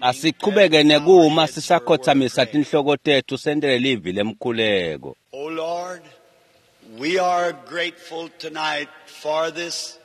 Asiqhubeke nekuma sisakhothamisa tinhloko tetfu sentele livi lemkhuleko. O Lord, we are grateful tonight for this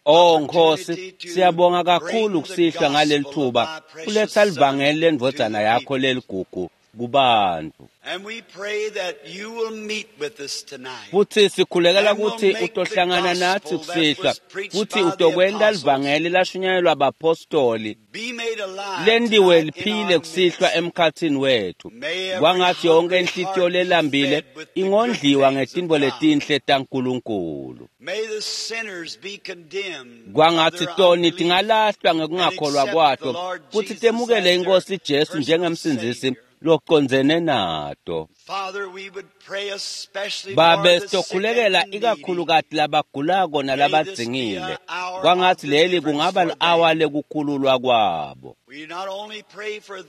Oh Nkosi, siyabonga kakhulu kusihlwa ngaleli thuba kuletha livangeli lendvodzana yakho leligugu kubantu. And we pray that you will meet with us tonight. Futhi sikhulekela ukuthi utohlangana nathi kusihlwa futhi utokwenta livangeli lashunyayelwa abapostoli Be made alive lendiwe tonight in liphile our kusihlwa midst. emkhatsini wethu. May every Kwangathi yonke hungry inhlitiyo heart be lelambile fed with the good ingondliwa things of ngetintfo God. letinhle taNkulunkulu. May the sinners be condemned of Kwangathi their toni unbelief tingalahlwa and ngekungakholwa accept the kwato Lord futhi Jesus temukele as their inkosi Jesu personal njengemsindzisi Savior. locondzene nato. Father, we would pray especially for Babe the sick and sitokhulekela the needy. ikakhulukati labagulako May this be nalabadzingile. an hour of Kwangathi leli deliverance kungaba for li-awa them. lekukhululwa kwabo. We not only pray for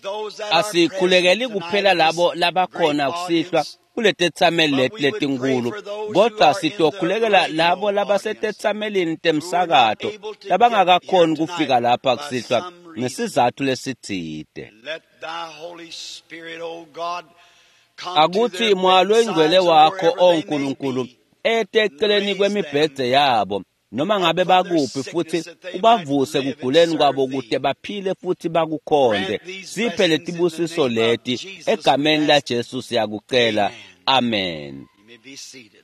those that are present Asikhulekeli tonight kuphela in this labo great labakhona kusihlwa audience, kuletetsameli but leti we would pray letinkulu for those who kodwa are in the sitokhulekela radio labo audience labasetetsamelini who were not temsakato able to get here labangakakhoni kufika tonight lapha by kusihlwa some reason. ngesizatfu lesitsite. Let thy Holy Spirit, O God, come to Akuthi their moya loyingcwele bedsides or wakho wherever they may oNkulunkulu be ete and eceleni raise them kwemibhedze yabo noma up ngabe from their bakuphi futhi sickness that they might ubavuse live and kuguleni serve kwabo thee. kute baphile futhi bakukhonze. Grant these Siphe blessings in the letibusiso name of leti Jesus, we egameni ask. laJesu siyakucela. Amen. Amen. You may be seated.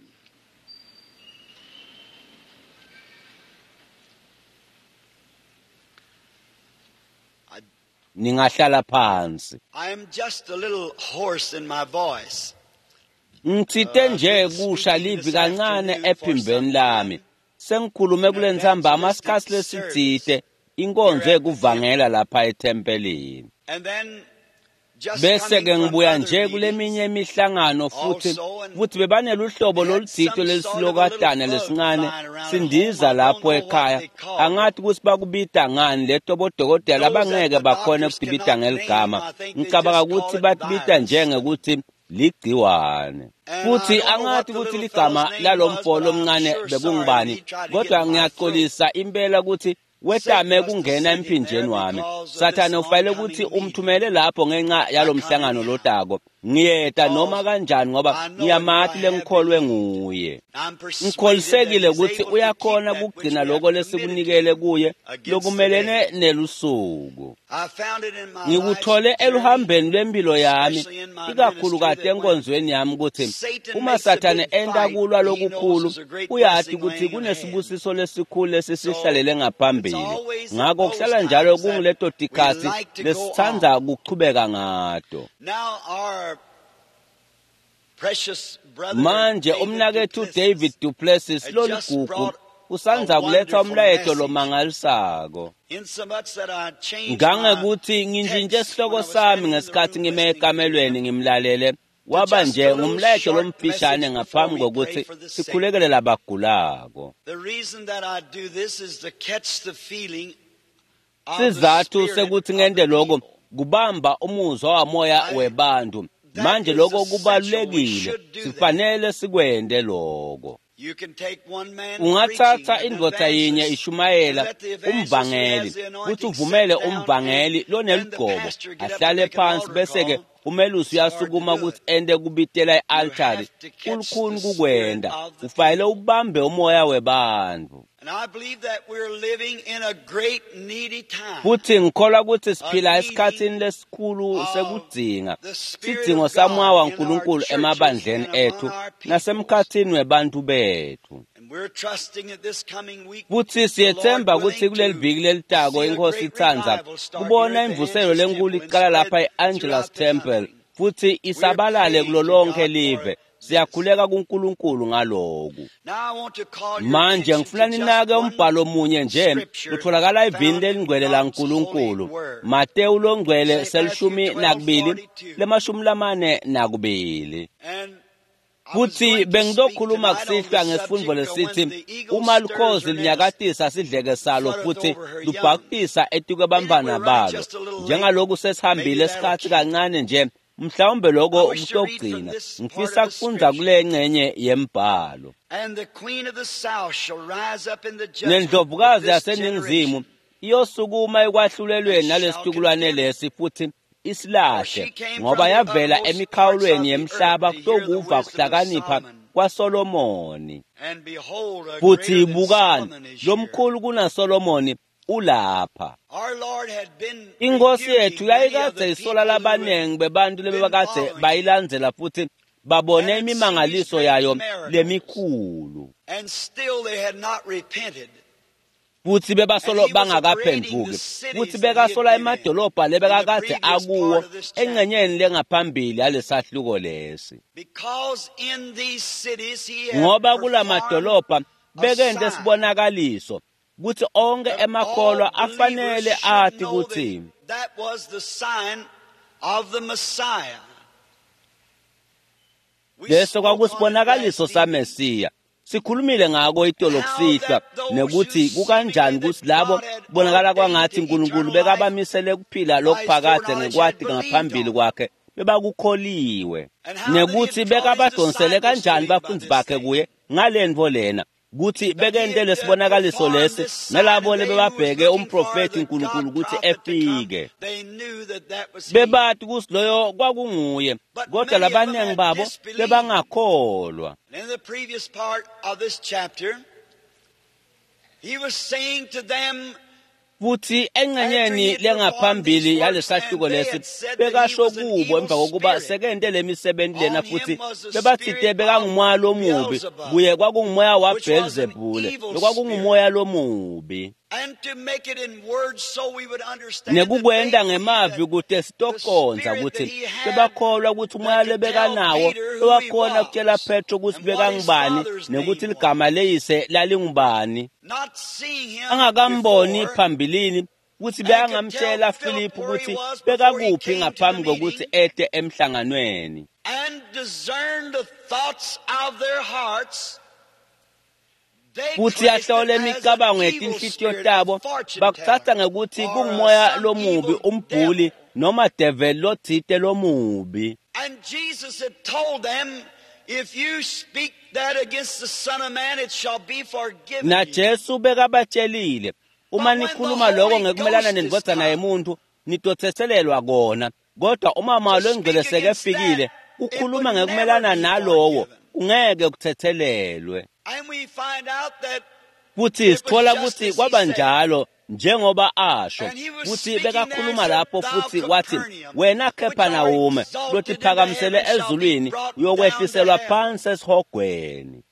I, Ningahlala phansi. I am just a little hoarse in my voice. Ngitsite I've nje been kusha speaking livi this kancane afternoon for ephimbeni some lami. time Sengikhulume in kule ntsambama evangelistic sikhatsi service lesitsite here inkonzo at the yekuvangela temple. lapha ethempelini. And then just Bese coming ke from ngibuya other nje meetings kuleminye imihlangano futhi also, and futhi bebaneluhlobo they had lolutsite some sort of a little lelisilokatane bug lesincane flying around at home. sindiza I don't lapho know what ekhaya they called it. angathi kutsi bakubita ngani leto bodokotela Those that labangeke the bakhone doctors kutibita cannot name, ngeligama I think they ngicabanga just call kutsi it batibita virus. njengekuthi ligciwane And I futhi don't know what angathi the kutsi little ligama fellow's name was, lalomfo but I'm lomncane sure sorry when bekungubani he tried to get kodwa in my throat. ngiyaxolisa impela kutsi Satan wetame must have kungena sent him there emphinjeni wami because of this sathane ufanele oncoming kutsi meeting. umthumele lapho ngenxa I yalo come mhlangano anyhow lotako ngiyeta noma because kanjani ngoba I know it if ngiyamati I have lengikholwe believed. nguye I'm persuaded that ngikholisekile he's kutsi able to keep uyakhona that which kugcina we have loko committed to lesikunikele him kuye against the lokumelene day. nelusuku I found it in my life's ngikuthole journey, eluhambeni lwempilo yami especially in my ministry, ikakhulukati that when enkonzweni yami kutsi Satan uma makes a sathane big enta fight, kulwa he knows lokukhulu there's a great uyati blessing kutsi laying at hand. kunesibusiso lesikhulu So lesisihlalele it's ngaphambili always at ngako those kuhlala njalo times that kunguleto we tikhatsi like to go lesitsandza on. kuchubeka ngato Now our precious brother manje David umnakethu duPlessis David duPlessis had just loligugu brought a usandza kuletha wonderful umlayeto message, lomangalisako insomuch that I changed my ngangekuthi ngintshintshe text when sihloko I was sami standing in the ngesikhathi room ngime listening to ekamelweni him ngimlalele to waba just nje a little ngumlayeto short lomfishane message before ngaphambi we pray kokuthi for the sick. sikhulekele labagulako The reason that I do this is to catch the feeling of the sizathu spirit sekuthi of ngente the lokho people. kubamba umuzwa wamoya I webantu that manje is lokho essential. We kubalulekile should do that. sifanele sikwente lokho You can take one man ungathatha preaching, an indvodza yinye evangelist, and ishumayela let the evangelist who umvangeli has the kutsi anointing sit uvumele down, and umvangeli then the loneligcobo pastor get up to ahlale make an phansi altar bese-ke call. umelusi It's hard to uyasukuma do kutsi it. ente kubitela You i-altari have to catch the kulukhuni spirit kukwenta of the ufanele people. ubambe umoya webantfu And I believe that we're living in a great needy time, futhi ngikholwa kutsi a siphila needing esikhatsini lesikhulu of sekudzinga the Spirit sidzingo of samoya God in our waNkulunkulu churches emabandleni and among ethu our peoples. nasemkhatsini webantfu bethu And we're trusting that this coming week, futhi the Lord siyethemba kutsi willing, kuleli to viki lelitako see a inkosi great itsandza revival start here kubona at the imvuselo Angelus lenkulu Temple and icala lapha spread e-Angelus throughout the Temple country. futhi We're isabalale praying kulo to lonke God for live this. siyakhuleka kuNkulunkulu ngaloku Now I want to call your manje attention ngifuna to just ninake one umbhalo munye nje scripture lutholakala evini found in lelingcwele God's holy laNkulunkulu word. Mateyu longcwele St. Matthew selishumi 12 nakubili 42. lemashumi lamane nakubili And I was futhi going to speak bengitokhuluma tonight on the kusihlwa ngesifundvo subject of when lesithi the eagle uma stirs lukhozi her nest, lunyakatisa sidleke salo fluttereth futhi over her young. lubhakutisa Maybe etikwebantfwana we're running balo just a little late. njengaloku Maybe sesihambile that'll isikhatsi keep. kancane nje mhlawumbe I lokho wish to read from kutogcina this part ngifisa of the kufundza scripture. kule ncenye yembhalo And the queen of the south shall rise up in the judgment with nendlovukazi this yaseningizimu generation iyosukuma ekwahlulelweni nalesitukulwane lesi futhi isilahle, ngoba yavela emikhawulweni yemhlaba kutokuva kuhlakanipha kwaSolomoni. Futhi bukani, lomkhulu kunaSolomoni ulapha. Inkosi yethu yayikadze isola labaningi bebantu lebebakadze bayilandzela futhi babone imimangaliso yayo lemikhulu, futhi bebasolo bangakaphendvuki, futhi bekasola emadolobha lebekakadze akuwo engcenyeni lengaphambili yalesahluko lesi, ngoba kulamadolobha bekente sibonakaliso kutsi onke emakholwa afanele ati kutsi leso kwakusibonakaliso saMesiya. Sikhulumile ngako itolo kusihlwa, nekuthi kukanjani kutsi labo kubonakala kwangathi uNkulunkulu bekabamisele kuphila lokuphakade ngekwati ngaphambili kwakhe bebakukholiwe, nekuthi bekabadonsele kanjani bafundzi bakhe kuye ngalentfo lena, kutsi bekente lesibonakaliso lesi nalabo lebebabheke umprofethi uNkulunkulu kutsi efike. Bebati kutsi loyo kwakunguye, kodwa labaningi babo bebangakholwa. Futhi engcenyeni lengaphambili yalesahluko lesi bekasho kubo emva kokuba sekente lemisebenzi lena, futhi bebatsite bekangumoya lomubi, kuye kwakungumoya waBhelzebule, lokwakungumoya lomubi. Nekukwenta ngemavi kute sitokonza kutsi bebakholwa kutsi umoya lebekanawo lowakhona kutjela Petro kutsi bekangubani nekuthi ligama leyise lalingubani, angakamboni phambilini, kutsi bekangamtjela Filiphu kutsi bekakuphi ngaphambi kokuthi ete emhlanganweni. Futhi yahlola imicabango yetinhlitiyo tabo, bakutsatsa ngekuthi kungumoya lomubi, umbhuli noma devil lotsite lomubi. And Jesus had told them, if you speak that against the Son of Man, it shall be forgiven. Na Jesu bekabatshelile, uma nikhuluma lokho ngekumelana nendvodzana yemuntu, nitotsetselelwa kona. Kodwa uma Moya Longcwele sekefikile, kukhuluma ngekumelana nalowo kungeke kutsetselelwe. Futhi sithola kutsi kwaba njalo njengoba asho, futhi bekakhuluma lapho futhi wathi, wena Capernaum, lotiphakamisele ezulwini, uyokwehliselwa phansi esihogweni.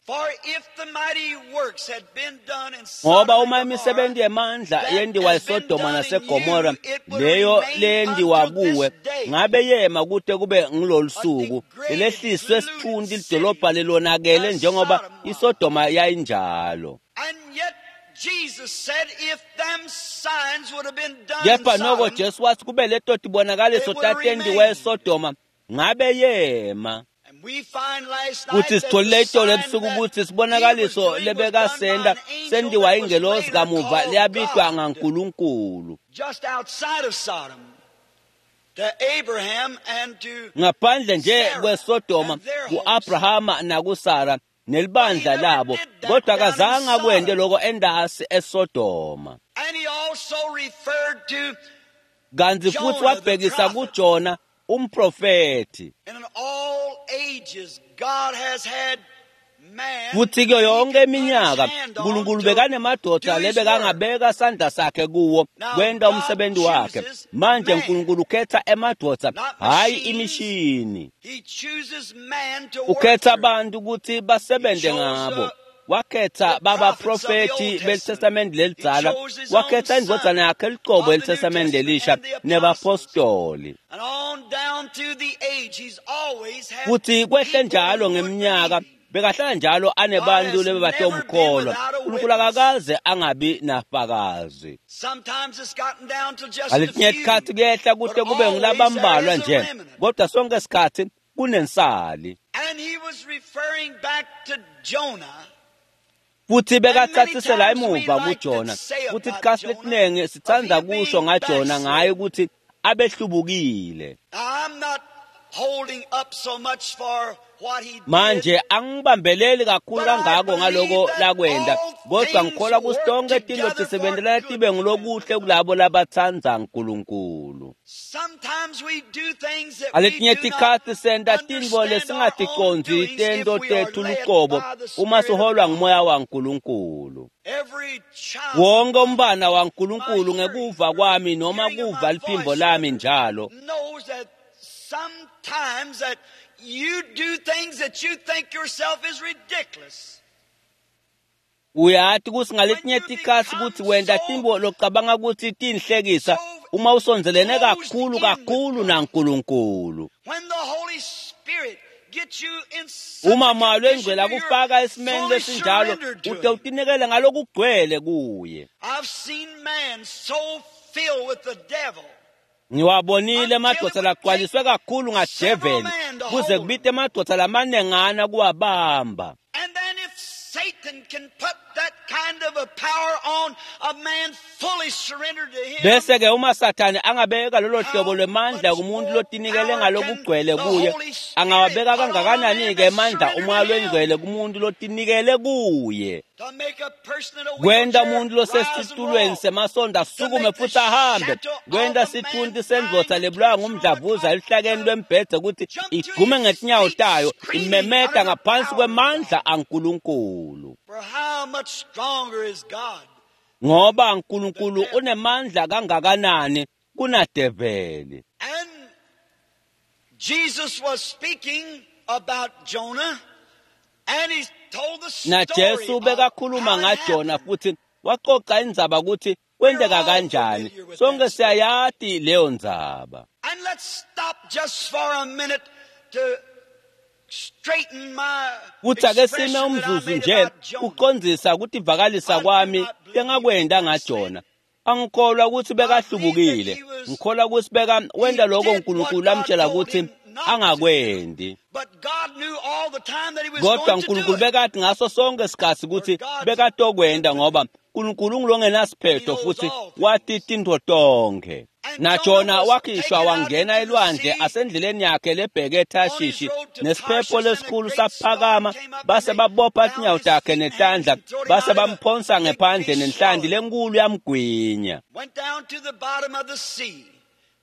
Ngoba uma imisebenzi yemandla yendiwa eSodoma naseGomora, leyo leyendiwa kuwe, ngabe yema kute kube ngilolu suku, lelehliswe sithunti lidolobha lelonakele njengoba iSodoma yayinjalo. Kepha noko Jesu wathi kube leto tibonakaliso tatendiwa eSodoma, ngabe yema. Kuthi sitholile itolo ebusuku kutsi sibonakaliso lebekasenta sendiwa ingelosi kamuva leyabitwa ngaNkulunkulu. Ngaphandle nje kweSodoma, ku-Abrahama nakuSara nelibandla labo, kodwa akazange akwente lokho endasi eSodoma. Kanti futhi wabhekisa kuJona umprofethi. Futhi kuyo yonke iminyaka uNkulunkulu bekanemadoda lebekangabeka sandla sakhe kuwo kwenta umsebenzi wakhe. Manje uNkulunkulu ukhetha emadoda, hayi imishini. Ukhetha abantu ukuthi basebenze ngabo. Wakhetha babaprofethi beTestamente lelidzala, wakhetha indvodzana yakhe licobo eliTestamente lelisha nebapostoli. Futhi kwehle njalo ngeminyaka bekahlala njalo anebantu lebebatomkholwa. uNkulunkulu akakaze angabi nafakazi. Ngaletinye tikhatsi kuyehla kute kube ngulabambalwa nje, kodwa sonke isikhatsi kunensali. Futhi bekatsatsisela emuva kuJona. Futhi isikhatsi lesiningi sitsandza kusho ngaJona ngaye ukuthi abehlubukile. holding up so much for what he did. Manje angibambeleli kakhulu But I kangako believe ngaloko that lakwenda, all kodwa things ngikholwa kutsi work tonkhe tintfo together for tisebentelana good tibe to them ngulokuhle that love kulabo labatsandza Nkulunkulu. Sometimes we do things that we Ngaletinye do not tikhatsi senta tintfo understand our own lesingaticondzi doings if tento we are tetfu led lucobo by the uma Spirit of siholwa God. ngumoya waNkulunkulu. Every child of Wonke God, umntfwana my waNkulunkulu hearing, ngekuva kwami noma hearing of kuva my liphimbo voice, lami njalo, knows that sometimes that you do things that you think yourself is ridiculous. Uyati kutsi When ngaletinye you tikhatsi become kutsi wenta so tintfo locabanga kutsi tinhlekisa so uma usondzelene closed kakhulu in with kakhulu God. naNkulunkulu. When the Holy Spirit gets you in such Uma a Moya condition Longcwele where you're akufaka esimeni fully lesinjalo, surrendered to ute Him. utinikele ngalokugcwele kuye. I've seen man so filled with the devil Ngiwabonile until it emadvodza would take lagcwaliswe kakhulu several ngadeveli men to kuze hold him. kubite emadvodza lamanengana kuwabamba. And then if Satan can put that kind of a power on a man fully surrendered to him, Bese ke uma Sathane angabeka lolo hlobo how lwemandla much kumuntu more lotinikele power can ngalokugcwele the kuye, Holy Spirit angawabeka put on a man kangakanani ke that's emandla surrendered to umoya him longcwele kumuntu lotinikele kuye. to make a person in a Kwenta wheelchair umuntu rise and losesitulweni walk, semasondo to asukume make the futhi ahambe, shadow of kwenta a sithunti man sendvodza dying of lebulawa cancer on a ngumdlavuza cot eluhlakeni to lwembhedze kutsi jump to igqume his ngetinyawo feet tayo screaming imemeta under the ngaphansi power of kwemandla God. aNkulunkulu. For how much stronger is God Ngoba than the uNkulunkulu devil? unemandla kangakanani kunadeveli. And Jesus was speaking about Jonah, and he told the story NaJesu of bekakhuluma how it ngaJona happened. futhi waxoxa indzaba kutsi We're kwenteka all kanjani. familiar with Sonke that story. siyayati leyo ndzaba. And let's stop just for a minute to straighten my Kutsi ake sime expression that I umzuzu made nje about Jonah. kucondzisa kutivakalisa I do kwami not believe he was lengakwenta backslidden. ngaJona. Angikholwa kutsi I believe that bekahlubukile. he was Ngikholwa kutsi beka he wenta lokho did what uNkulunkulu God amtshela told kutsi him not to do. angakwendi. But God knew all the time that he was Kodwa going to do uNkulunkulu it. bekati ngaso sonke sikhatsi For kutsi God's bekatokwenta infinite. ngoba uNkulunkulu ungulongenasiphetho He knows futhi all wati things. tintfo tonkhe. And Jonah NaJona was wakhishwa taken out wangena into the elwandle sea asendleleni yakhe lebheke on his eThashishi road to nesiphepho Tarshish, and a lesikhulu great storm saphakama came up, and base they babopha bound tinyawo his takhe feet and hands netandla and throwed him base out in a bamphonsa big ngephandle fish nenhlanti swallowed him. lenkulu yamgwinya. Went down to the bottom of the sea,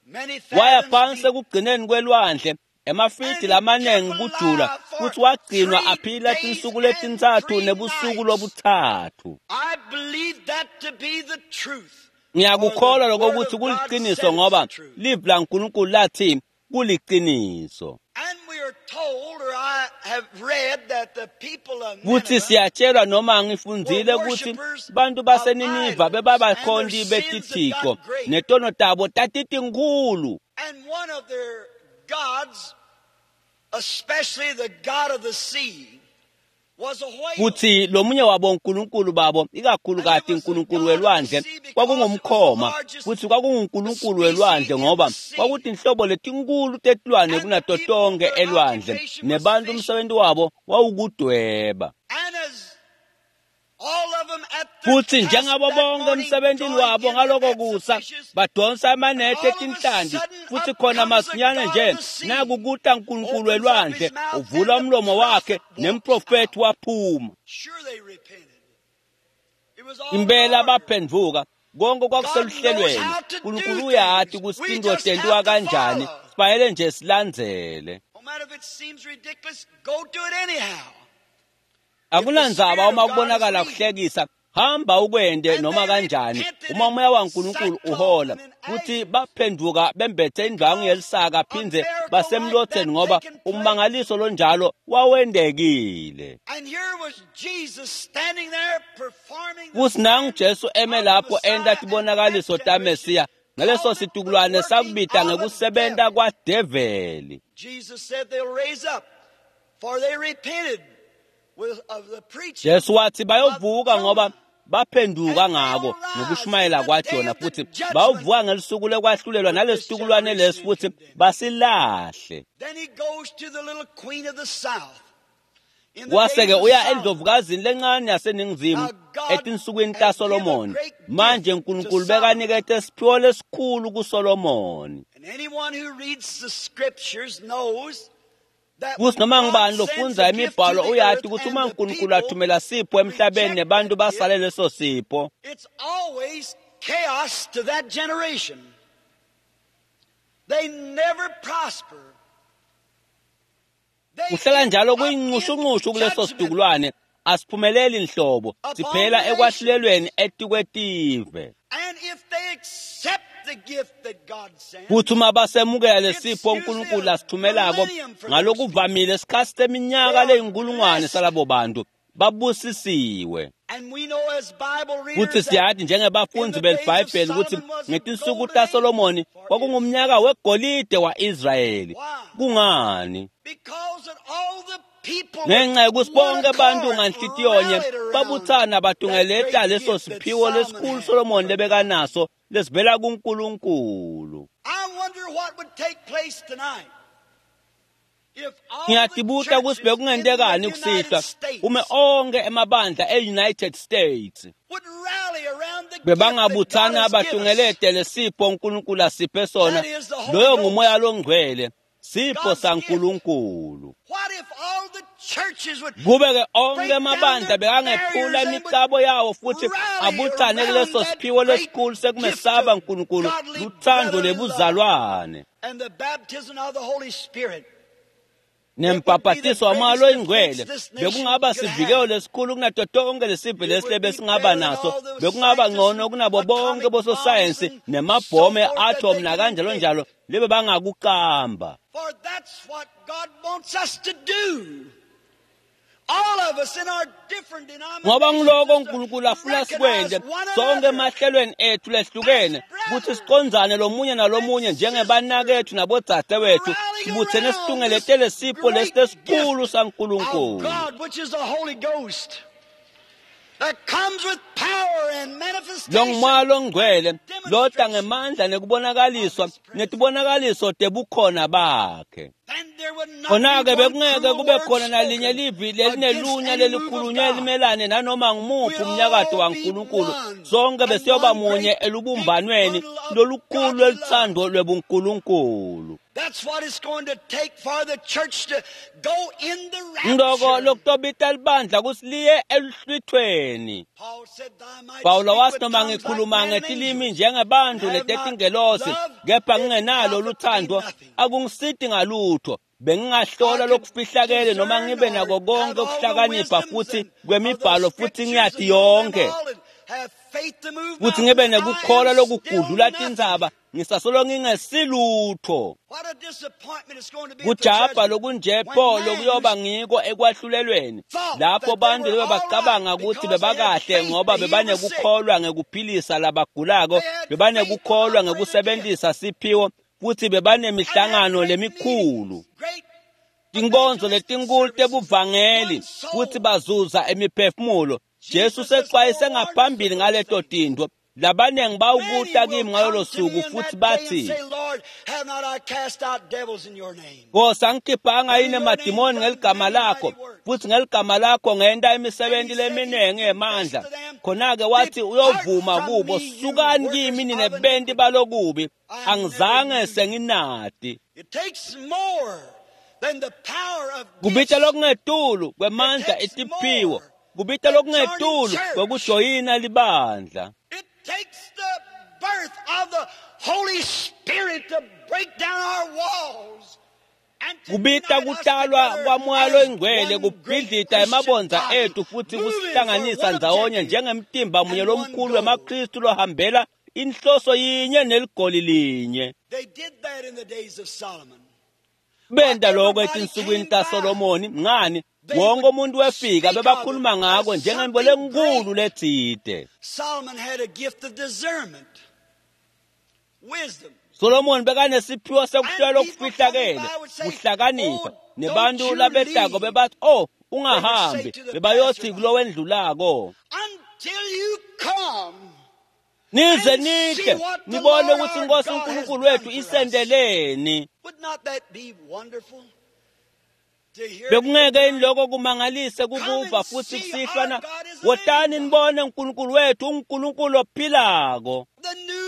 many Waya fathoms phansi deep, ekugcineni kwelwandle emafidi and he kept lamanengi kujula alive for kutsi wagcinwa 3 aphila days tinsuku and letintsatfu 3 nebusuku nights. lobutsatfu. I believe that to be the truth, for the Ngiyakukholwa lokho Word kutsi of God kuliciniso said it's the ngoba truth. livi laNkulunkulu lathi kuliciniso. And we are told, or I have read, that the people of Kutsi Nineveh siyatshelwa noma were ngifundzile kutsi worshipers bantu of baseNiniva idols, and their bebabakhonti sins had betithixo got great. netono tabo tatitinkhulu. And one of their gods, especially the god of the sea, was a whale. Kutsi lomunye wabo nkulunkulu babo And it ikakhulukati was the nkulunkulu god of the welwandle sea because it was the kwakungumkhoma largest kutsi kwakungunkulunkulu species welwandle in the ngoba sea. kwakutinhlobo letinkulu tetilwane And the kunato people, tonkhe their elwandle occupation was nebantu fishing. umsebenzi wabo wawukudweba. And as all of them at their Futsi task njengabo that bonke morning emsebentini drawing wabo in their ngaloko nets of kusa fishes, badonsa and amanethe all of a etinhlanti sudden futsi up khona comes the masinyane god nje of the sea, naku kuta nkulunkulu opens up his welwandle mouth, uvula and the umlomo wakhe prophet walks nemprofethi out. waphuma. Sure, they repented. It was all in Impela order. baphendvuka konke God knows kwakuseluhlelweni. how to do uNkulunkulu uyati things. kutsi We tintfo just tentiwa have to kanjani follow. sifanele nje silandzele. No matter if it seems ridiculous, go do it anyhow. If the Akunandzaba Spirit uma of God is kubonakala leading. kuhlekisa hamba ukwente And noma they kanjani repented uma in umoya waNkulunkulu sackcloth uhola and in kutsi ashes baphendvuka bembethe indwangu because yelisaka a phindze miracle like that basemlotheni ngoba taken place. ummangaliso lonjalo wawendekile. And here was Jesus standing there performing the Kutsi nangu signs Jesu eme of the lapho enta Messiah and that tibonakaliso generation taMesiya ngaleso called it the situkulwane working sakubita of a ngekusebenta devil. kwadeveli. Jesus said they'll raise up, for they repented with, of the preaching Jesu wathi of bayovuka ngoba Jonah. baphenduka And ngako they'll rise in ngokushumayela the day kwaJona of the futhi judgment bayovuka ngelisuku lekwahlulelwa with this nalesitukulwane lesi generation and futhi condemn it. basilahle. Then he goes to the little queen of the south in the Wase days ke of uya Solomon. endlovukazini lencane yaseningizimu Now God etinsukwini had taSolomoni. given a great Manje gift to uNkulunkulu Solomon. bekanikete isiphiwo lesikhulu kuSolomoni. And Kuthi noma ngubani lofundza imibhalo uyati ukuthi uma uNkulunkulu athumela sipho emhlabeni nebantu basale leso sipho, it's always chaos to that generation. They never prosper. Kuhlala njalo kuyinxushunxushu kuleso situkulwane, asiphumeleli nhlobo, siphela ekwahlulelweni etikwetive. Kuthi uma basemukela lesipho uNkulunkulu asithumelako, ngalokuvamile isikhathi seminyaka leyinkulungwane salabo bantu babusisiwe. Kuthi siyathi njengebafundi beliBhayibheli ukuthi ngetinsuku taSolomoni kwakungumnyaka wegolide wa-Israyeli. Kungani? Ngenxa yokuthi bonke abantu nganhlitiyonye babuthana batungeleta leso siphiwo lesikhulu Solomoni lebekanaso lesivela kuNkulunkulu. Ngiyatibuta ukuthi bekungentekani kusihlwa ume onke emabandla e-United States bebangabuthana batungelete lesipho uNkulunkulu asiphe sona, loyo ngumoya longcwele, sipho saNkulunkulu. Kube-ke onke emabandla bekangephula imicabo yawo futhi abuthane kuleso siphiwo lesikhulu sekumesaba uNkulunkulu, luthando lebuzalwane nembhabhatiso wamoya loyingcwele, bekungaba sivikelo lesikhulu kunato tonke lesive lesi besingaba naso, bekungaba ngcono kunabo bonke bososayensi nemabhomu e-atom nakanjalo njalo lebe bangakuqamba. Ngoba ngiloko uNkulunkulu afuna sikwente sonke emahlelweni ethu lehlukene, ukuthi sicondzane lomunye nalomunye njengebanakethu nabodzadewethu, sibuthene situngeletele sipho lesi lesikhulu saNkulunkulu. Lo ngumoya longcwele lota ngemandla nekubonakaliswa netibonakaliso tebukhona bakhe. Khona-ke bekungeke kube khona nalinye livi lelinelunya lelikhulunywe limelane nanoma ngumuphi umnyakato waNkulunkulu. Sonke besiyoba munye elubumbanweni lolukhulu lweluthando lwebuNkulunkulu. Ngiloko lokutobita libandla kutsi liye eluhlwithweni. Pawulo wathi noma ngikhuluma ngetilimi njengebantu netetingelosi, kepha ngingenalo luthando akungisiti ngalutho. Bengingahlola lokufihlakele noma ngibe nako konke ukuhlakanipha futhi kwemibhalo futhi ngiyati yonke, futhi ngibe nekukholwa lokugudlula tintsaba, ngisasolo ngingesilutho. Kujabha lokunje pho lokuyoba ngiko ekwahlulelweni, lapho bantu lebe bacabanga ukuthi bebakahle ngoba bebanekukholwa ngekuphilisa labagulako, bebanekukholwa ngekusebenzisa siphiwo, futhi bebanemihlangano lemikhulu, tinkonzo letinkulu tebuvangeli, futhi bazuza emiphefumulo. Jesu sexwayise ngaphambili ngaleto tintfo. Labanengi bawukuta kimi ngalolo suku futhi bathi, Nkosi, angikhiphanga yini emadimoni ngeligama lakho, futhi ngeligama lakho ngenta imisebenzi leminingi yemandla? Khona-ke wathi uyovuma kubo, sukani kimi nine benti balokubi, angizange senginati. Kubita lokungetulu kwemandla etiphiwo, kubita lokungetulu kwekujoyina libandla. It takes the birth of the Holy Spirit to break down our walls. Kubita kutalwa kwamoya loyingcwele kubhidlita emabondza ethu futhi kusihlanganisa ndzawonye njengemtimba munye lomkhulu wemaKristu lohambela inhloso yinye neligoli linye. Benta lokho etinsukwini taSolomoni, ngani wonke umuntu wefika bebakhuluma ngako njengento lenkulu letsite. Solomon bekanesiphiwo sekuhlola okufihlakele, kuhlakanipha, nebantu labetako bebathi, oh, ungahambi, bebayothi kulowendlulako, nize nihle nibone ukuthi iNkosi uNkulunkulu wethu isendeleni. Bekungeke yini lokho kumangalise kukuva futhi kusihlwa na? Wotani nibone uNkulunkulu wethu, uNkulunkulu ophilako.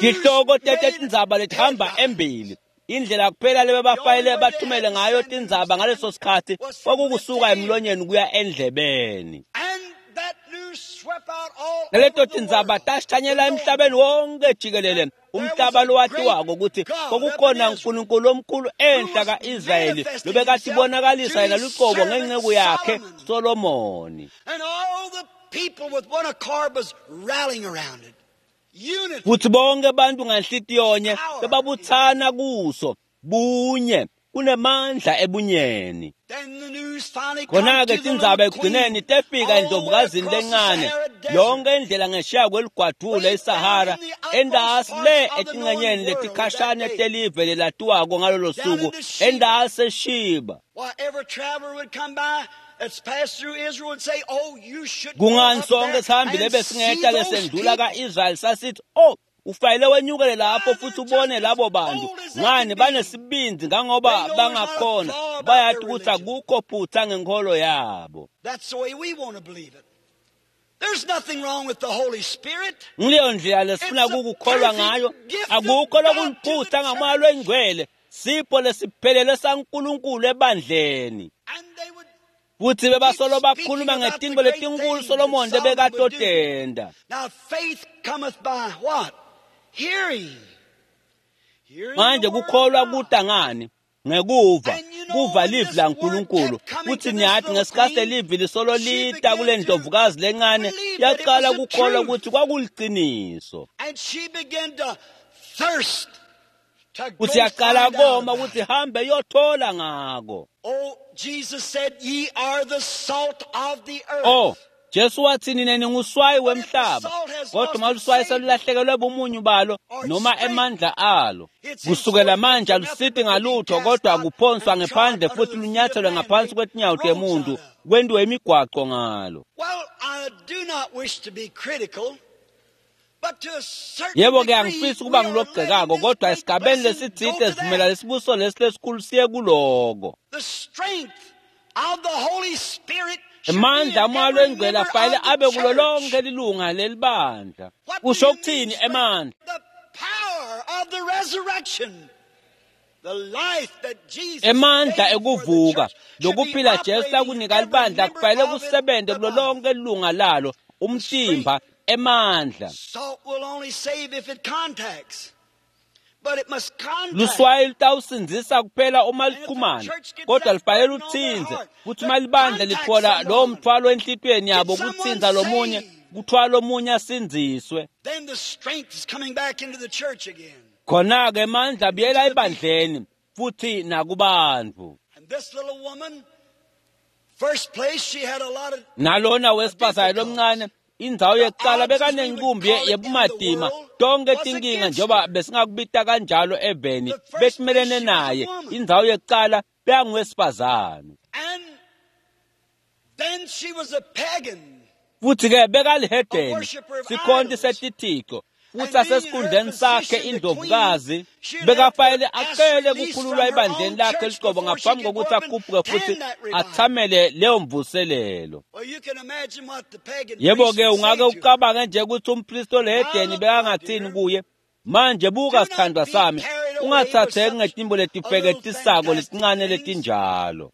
Tihloko tetindzaba letihamba embili, Indlela kuphela lebebafanele bathumele ngayo tindzaba ngaleso sikhatsi kwakukusuka emlonyeni kuya endlebeni. Naleto tindzaba tashanyela emhlabeni wonke jikelele, umhlaba lowatiwako ukuthi kwakukhona uNkulunkulu omkhulu enhla ka-Israyeli lobekatibonakalisa yena luqobo ngenceku yakhe Solomoni. Futhi bonke abantu nganhlitiyonye bebabuthana kuso bunye, kunemandla ebunyeni. Khona-ke tindzaba ekugcineni tefika endlovukazini lencane yonke indlela ngesheya kweligwadvule iSahara, endasi le etincenyeni letikhashane telive lelatiwako ngalolo suku, endasi eShiba. Kungani sonke sihambi lebesingehla lesendlula ka-Israyeli sasithi, oh, ufanele wenyukele lapho futhi ubone labo bantu. Ngani, banesibindi ngangoba bangakhona, bayati ukuthi akukho phutha ngenkolo yabo. Ngileyo ndlela lesifuna kukukholwa ngayo. Akukho lokuliphutha ngamoya lwengcwele, sipho lesiphelele saNkulunkulu ebandleni. Futhi bebasolo bakhuluma ngetinto letinkulu Solomon lebekatotenda. Manje kukholwa kuta ngani? Ngekuva, kuva livi laNkulunkulu. Futhi niyathi ngesikhathi livi lisolo lita kule ndlovukazi lencane, yaqala kukholwa ukuthi kwakuliciniso. Futhi yaqala koma ukuthi hambe yothola ngako. Oh, Jesu wathi nina ninguswayi wemhlaba, kodwa uma luswayi selulahlekelwe bumunyu balo noma emandla alo, kusukela manje alusiti ngalutho, kodwa kuphonswa ngephandle futhi lunyathelwe ngaphansi kwetinyawo temuntu, kwentiwe imigwaco ngalo. Yebo-ke, angifisi ukuba ngilogxekako, kodwa esigabeni lesitsite sivumela lesibuso lesi lesikhulu siye kuloko. Emandla amoya lwengcwele afanele abe kulo lonke lilunga lelibandla. Kusho ukuthini emandla? Emandla ekuvuka, lokuphila Jesu lakunika libandla kufanele kusebenze kulo lonke lilunga lalo, umtimba, emandla. Luswayi lutawusindzisa kuphela uma luchumana, kodwa lufanele lutsinze. Kuthi uma libandla litfola lowo mthwalo enhlitiyweni yabo kutsinza lomunye, kuthwala omunye asindziswe. Khona-ke emandla abuyela ebandleni futhi nakubantu. Nalona wesifazane lomncane, indzawo yekuqala bekanenkumbi yebumatima, tonke tinkinga njengoba besingakubita kanjalo eveni betimelene naye. Indzawo yekuqala bekanguwesifazane, futhi-ke bekalihedeni, sikhonti setithixo, futhi asesikhundleni sakhe indlovukazi bekafanele acele kukhululwa ebandleni lakhe liqobo ngaphambi kokuthi akhuphuke futhi athamele leyo mvuselelo. Yebo-ke, ungake ucabange nje ukuthi umpristi olehedeni bekangathini kuye. Manje buka sithandwa sami, ungathatheki ngetimbo letifeketisako letincane letinjalo.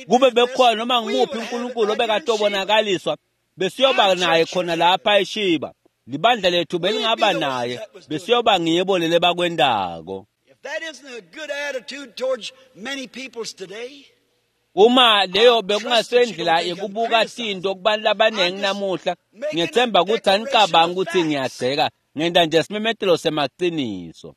Kube bekukhona noma ngumuphi uNkulunkulu obekatobonakaliswa, besiyoba naye khona lapha eShiba. Libandla lethu belingaba naye, besiyoba ngibo lele bakwendako. Uma leyo bekungasendlela yekubuka tinto kubantu labanengi namuhla, ngiyethemba ukuthi anicabangi ukuthi ngiyagceka, ngenta nje simemetelo semaqiniso.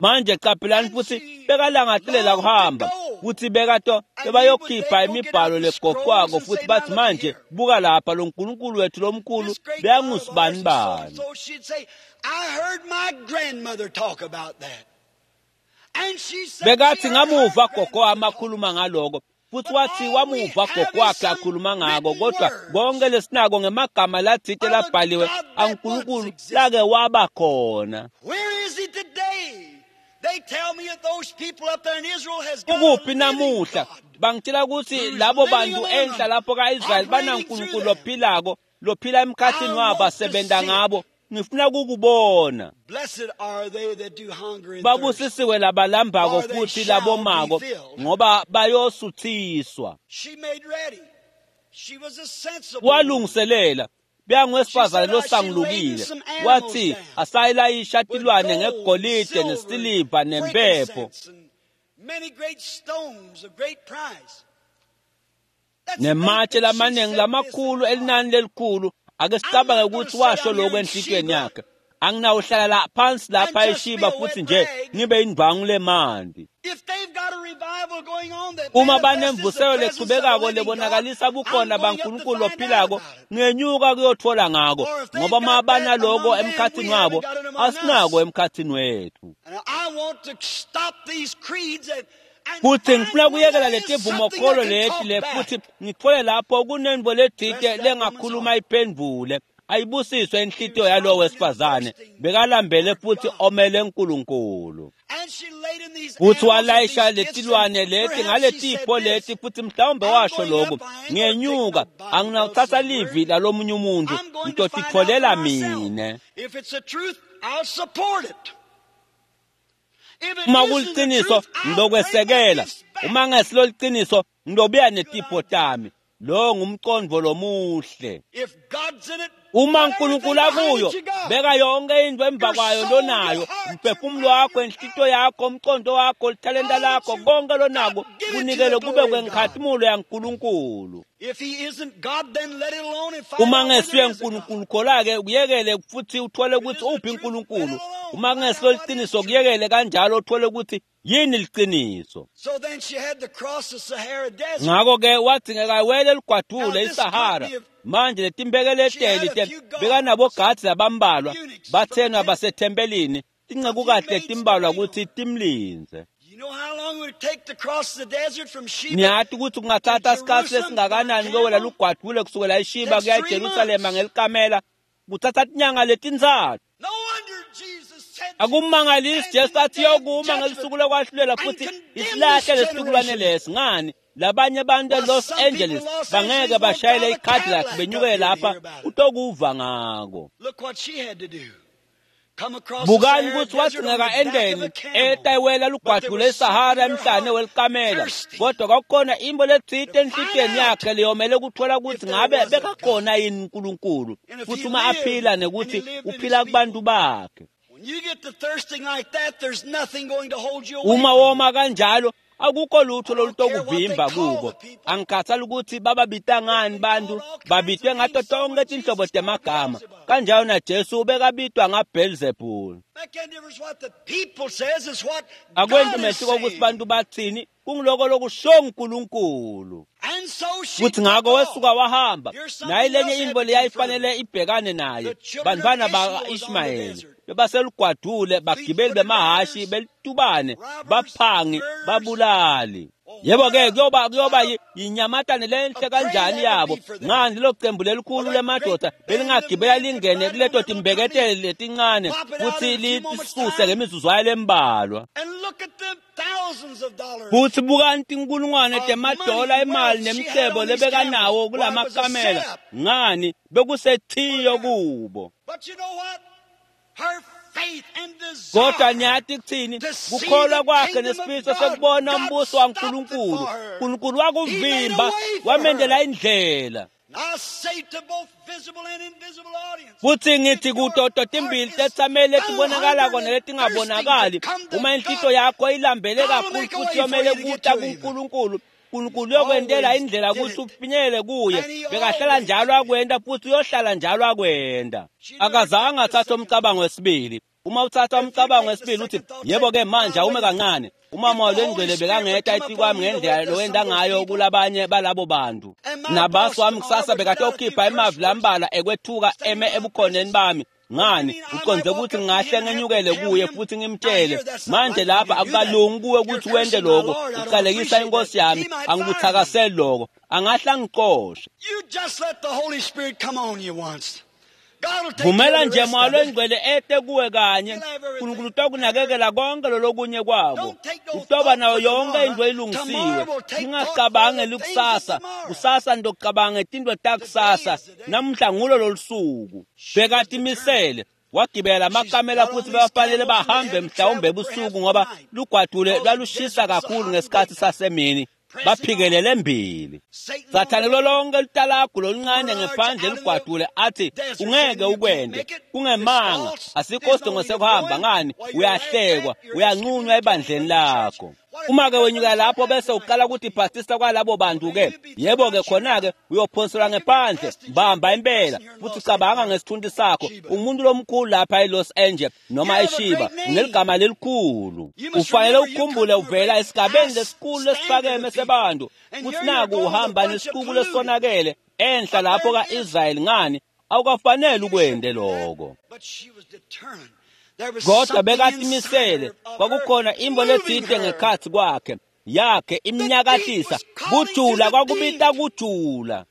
Manje qaphelani futhi bekalangatelela kuhamba, futhi bekato bebayokhipha imibhalo legoqwako futhi bathi manje buka lapha lo nkulunkulu wethu lomkhulu bekangusibani bani. Bekathi ngamuva gogo wami akhuluma ngaloko, futhi wathi wamuva gogo wakhe akhuluma ngako, kodwa konke lesinako ngemagama latsite labhaliwe aNkulunkulu lake waba khona. Ukuphi namuhla? Bangitshela ukuthi labo bantu enhla lapho ka-Israyeli banaNkulunkulu lophilako, lophila emkhathini wabo, asebenza ngabo. Ngifuna kukubona. Blessed are they that do hunger and thirst. Babusisiwe labalambako For they futhi shall labomako be filled. ngoba bayosuthiswa. She made ready. She was a sensible woman. Walungiselela beyangwesifazane losangulukile wathi asayilayisha With tilwane gold, ngegolide silver, nesiliva nempepho frankincense, and many great stones of great price. Let's nematshe think that she lamaningi said this lamakhulu in her heart. elinani lelikhulu. Ake sicabange ukuthi washo lokho enhlitiyweni yakhe, anginawuhlala la phansi lapha And just be eShiba a futhi wet nje rag. ngibe indwangu lemanti. If they've got a revival going on that Uma manifests the banemvuselo presence of the lechubekako living God, lebonakalisa I'm bukhona going up to baNkulunkulu find out lophilako, about it. ngenyuka kuyothola ngako, Or if they've ngoba uma got that banaloko among them, emkhathini we haven't wabo, got it among asinako us. emkhathini wethu. And I want to stop these creeds and Futhi find ngifuna where kuyekela there is something letivumokholo that can leti talk le back. futhi ngithole lapho kunento lethite Bless that woman's lengakhuluma heart. iphendvule. Ayibusiswe She inhlitiyo was yalowo hungering and wesifazane, thirsting bekalambele for futhi God. omele uNkulunkulu. And she laid in these Futhi animals and walayisha these gifts, and letilwane leti perhaps she said ngaletipho this, leti futhi mhlawumbe I'm washo going lokhu, up, I ain't gonna take ngenyuka nobody else's anginawutsatsa livi word. lalomunye umuntu, I'm going to find out for ngitotitfolela myself. mine. If it's the truth, I'll support it. If it Uma isn't the kuliciniso truth, I'll bring my ngilokwesekela, gifts back. uma ngesilo liciniso ngilobuya Good netipho idea. tami. Lo ngumcondvo lomuhle. If God's in it, Uma put everything uNkulunkulu behind akuyo, it you got. beka yonke into emva Your kwayo soul, your lonayo, heart, your umphefumulo mind, wakho, your inhlitiyo power, yakho, umcondo wakho, lithalenta all that lakho, you konke got, lonako give it to the kunikele kube glory of God. kwenkhatimulo yaNkulunkulu. If he isn't God, then let it alone and find Uma out whether ngesuye there is a God. uNkulunkulu khola-ke kuyekele futhi uthole If it ukuthi isn't the uphi truth, let it uNkulunkulu. alone. Uma Find out kungesilo what is liciniso truth. kuyekele kanjalo uthole ukuthi yini liciniso. So then she had to cross the Sahara Desert. Ngakho-ke wadzingeka awele Now ligwadule this iSahara. company of Manje she had letimbekele a te few guards, bekanabogadzi labambalwa eunuchs from the bathenwa temple, basethempelini a few tincekukahle maids to timbalwa wait on kutsi her. timlindze. You know how long it would take to cross the desert from Sheba Niyati ukuthi to kungatsatsa sikhatsi Jerusalem by lesingakanani kuyowela camel? lugwadule kusukela eShiba Takes kuya 3 eJerusalema months. ngelikamela kutsatsa tinyanga letintsatfu. No wonder Jesus said she would Akumangalisi stand Jesu in the athi day of yokuma judgment ngelusuku lokwahlulela and futhi condemn this isilahle lesitukulwane generation. lesi. Ngani? Labanye abantu Why, eLos some people in Angeles Los bangeke Angeles won't bashayele drive a iCadillac Cadillac up benyukele here to lapha hear about it. utokuva ngako. Look what she had to do. Come across the Bukani Sahara ukuthi Desert on wadzingeka the back of endeni a camel. etayiwela But there lugwadule was something eSahara in her emhlane heart welikamela, thirsty kodwa kwakukhona imbo letsite to find enhlitiyweni out yakhe leyomele kuthola if ukuthi there ngabe was a God. bekakhona yini uNkulunkulu, And if futhi he uma lived aphila and he nekuthi lived in his uphila kubantu people. bakhe. When you get to thirsting like that, there's nothing going to hold you away Uma from it. woma kanjalo akukho lutho I don't care what they lolutokuvimba call kubo. the people. Angikhathali ukuthi bababita They've ngani been bantu, called all kinds babitwe of ngato names. So tonke was tinhlobo Jesus called temagama. Beelzebub. Kanjalo naJesu ubekabitwa ngaBhelzebule. Make any difference what the people says is what Akwenti God is mehluko ukuthi saying. bantu bathini, kungiloko lokusho uNkulunkulu. And so she Futhi took ngakho off. wesuka wahamba. Here's Nayi something lenye else had intfo to confront leyayifanele her. ibhekane naye. The children of Bantfwana Ishmael was on the baka-Ishmayeli desert. bebaselugwadule, bagibeli Fleet-footed bemahashi, riders, belitubane, robbers, baphangi, murderers. babulali. Oh, Yebo what ke a kuyoba what a yinyamatane lenhle a prey kanjani that would yabo. be for them. Ngani lelo cembu Or lelikhulu that great lemadoda band of belingagibela men could lingene ride on kuleto their little company, timbeketele letincane pop it out kutsi in a few moments' litisuse time, ngemizuzwana lembalwa. and look at the thousands of dollars Futhi bukani tinkulungwane of money temadola and emali wealth she had nemcebo on these camels. lebekanawo Why, it was a kulamakamela. setup Ngani for bekusethiyo them. kubo. But you know what? Her faith and Kodwa desire niyati kuthini to see kukholwa the kwakhe kingdom of nesifiso God, sekubona God umbuso stopped it waNkulunkulu. for her. uNkulunkulu He made a wakuvimba way for wamendela her. indlela. And I say to both visible and invisible audience, Futhi if ngithi your kuto heart totimbili is tetsameli so letibonakalako hungering and thirsting to neletingabonakali, come to uma inhlitiyo God, yakho ilambele God will kakhulu make a futhi way for yomele you to get kuta to him. kuNkulunkulu, uNkulunkulu He uyokwentela always indlela did kutsi it. ufinyelele kuye. And he Bekahlala always njalo did. akwenta futhi uyohlala njalo akwenta. She never Akazange took the atsatse second thought. umcabango wesibili. Uma utsatsa If you umcabango take the wesibili uthi second thought, yebo say, ke manje now awume wait a minute. kancane, If uMoya the Holy longcwele Spirit would bekangeta come upon etikwami me the way ngendlela it does some lowenta of those ngayo people, kulabanye balabo bantu. and my Nabasi boss wami tomorrow kusasa would put out a few bekatokhipha curse emavi words lambalwa ekwethuka standing eme in my ebukhoneni presence. bami. What do you Ngani mean? I uconze might walk ukuthi up to ngingahle him and have to ngenyukele tell kuye him, futhi now ngimtshele here, that's not manje right for you lapha to do that. akukalungi kuwe You're ukuthi wente cursing my lokho, Lord. I don't uqalekisa appreciate that. inkosi yami, He might fire me. angikuthakaseli lokho, angahle angixoshe. You just let the Holy Spirit come on you once. God will take care Vumela of the nje rest Moya of it. longcwele ete kuwe kanye, He'll have everything uNkulunkulu prepared. utakunakekela konke lolokunye kwako. Don't take no Utoba thought nayo for yonke tomorrow. into ilungisiwe. Tomorrow will take thought for Ningacabangi the things of likusasa, tomorrow. kusasa ndokucabanga tinto Today takusasa. is the day. Namuhla ngulo lolusuku. She was determined. Bekatimisele. Wagibela amakamela futhi bebafanele bahambe mhlawumbe ebusuku ngoba lugwadule lwalushisa kakhulu ngesikhathi sasemini. Baphikelele embili. Sathane kulo lonke litalagu loluncane ngephandle ligwadule athi ungeke ukwende, kungemanga, asikho isidingo sekuhamba ngani, uyahlekwa, uyanqunywa ebandleni lakho. Uma ke wenyuka lapho bese uqala ukuthi bhastisa kwalabo bantu ke, yebo ke khona ke uyophonselwa ngephandle, bamba impela futhi cabanga ngesithunzi sakho. Umuntu lomkhulu lapha eLos Angeles noma eShiba uneligama lelikhulu. Ufanele ukukhumbule uvela esigabeni lesikhulu lesiphakeme sebantu, futhi naku uhamba nesixuku lesonakele enhla lapho kaIsrayeli. Ngani, awukafanele ukwende lokho. Kodwa bekatimisele, kwakukhona imbo letsite ngekhatsi kwakhe yakhe imnyakahlisa kujula, kwakubita kujula.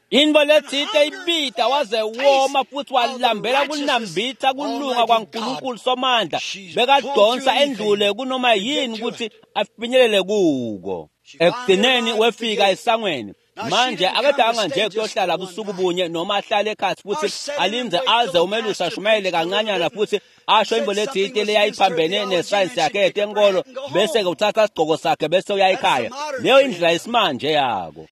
Into letsite ibita waze woma futhi walambela kunambitha kulunga kwaNkulunkulu Somandla. Bekadonsa endlule kunoma yini ukuthi afinyelele kuko. Ekugcineni wefika esangweni. Manje akadanga nje kuyohlala busuku bunye noma ahlale ekhatsi futhi alinze aze umelusi ashumayele kancanyana futhi asho imbo letsite leyayiphambene nesayensi yakhe yetenkolo, bese-ke uthatha isigqoko sakhe bese uya ekhaya. Leyo indlela yesimanje yako.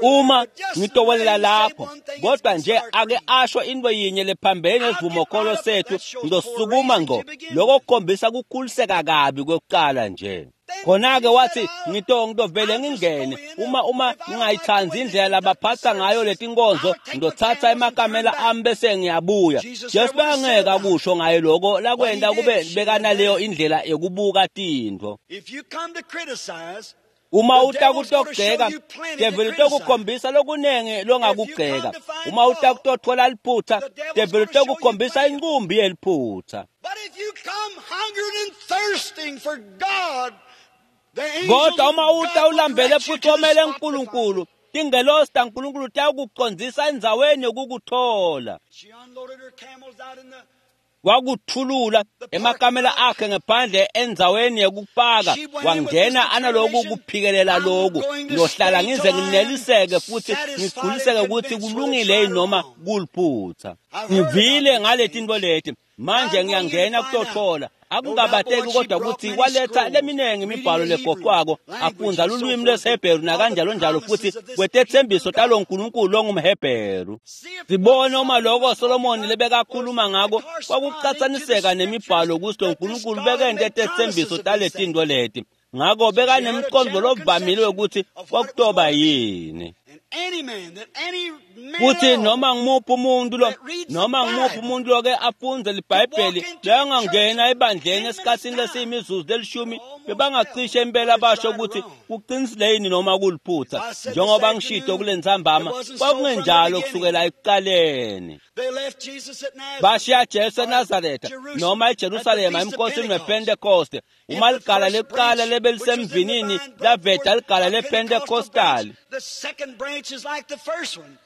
Uma ngitowelela lapho, kodwa nje ake asho into yinye lephambene nesivumokholo sethu, ngizosukuma ngco. Lokho kukhombisa kukhuliseka kabi kwekuqala nje. Khona-ke wathi ngitovele ngingene, uma ngingayithandi indlela labaphatha ngayo letinkonzo, ngizothatha emakamela ami bese ngiyabuya. Jesu bekangeke akusho ngaye lokho lakwenta kube bekanaleyo indlela yokubuka tintfo. Uma utakutogceka, develi utokukhombisa lokunengi longakugceka. Uma utakutothola liphutha, develi utokukhombisa inqumbi yeliphutha. Kodwa uma uta ulambele futhi omele uNkulunkulu, tingelosi taNkulunkulu tiyakucondzisa endzaweni yokukuthola. Wakuthulula emakamela akhe ngephandle endzaweni yekupaka, wangena analoku kuphikelela loku, ngiyohlala ngize ngineliseke futhi ngigculiseke ukuthi kulungile noma kuliphutha. Ngivile ngale tinto leti, manje ngiyangena kutothola. Akungabateki kodwa ukuthi waletha leminingi imibhalo legoqwako, afundza lulwimi lwesiHebheru nakanjalo njalo futhi kwetethembiso talo nkulunkulu longumHebheru. Sibone uma lokho Solomoni lebekakhuluma ngako kwakucatsaniseka nemibhalo ukuthi lo nkulunkulu bekente etethembiso taletinto leti. Ngako bekanemqondo lovamile ukuthi kwakutoba yini. Kuthi noma ngimuphi umuntu lo, noma ngimuphi umuntu loke afundze liBhayibheli, bekangangena ebandleni esikhatsini lesiyimizuzu lelishumi, bebangacishe impela basho ukuthi kuqinisile yini noma kuliphutha. Njengoba ngishito kule ntsambama, kwakungenjalo kusukela ekuqaleni. Bashiya Jesu eNazaretha noma eJerusalema emkhosini wePentekoste. Uma ligala lekuqala lebelisemvinini laveta ligala lePentecostal,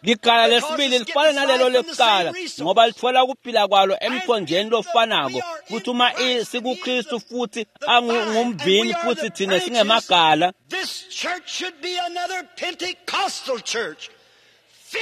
ligala lesibili lifana nalelo lekuqala ngoba lithola ukuphila kwalo emthonjeni lofanako. Futhi uma sikuKristu futhi angumvini futhi thina singemagala,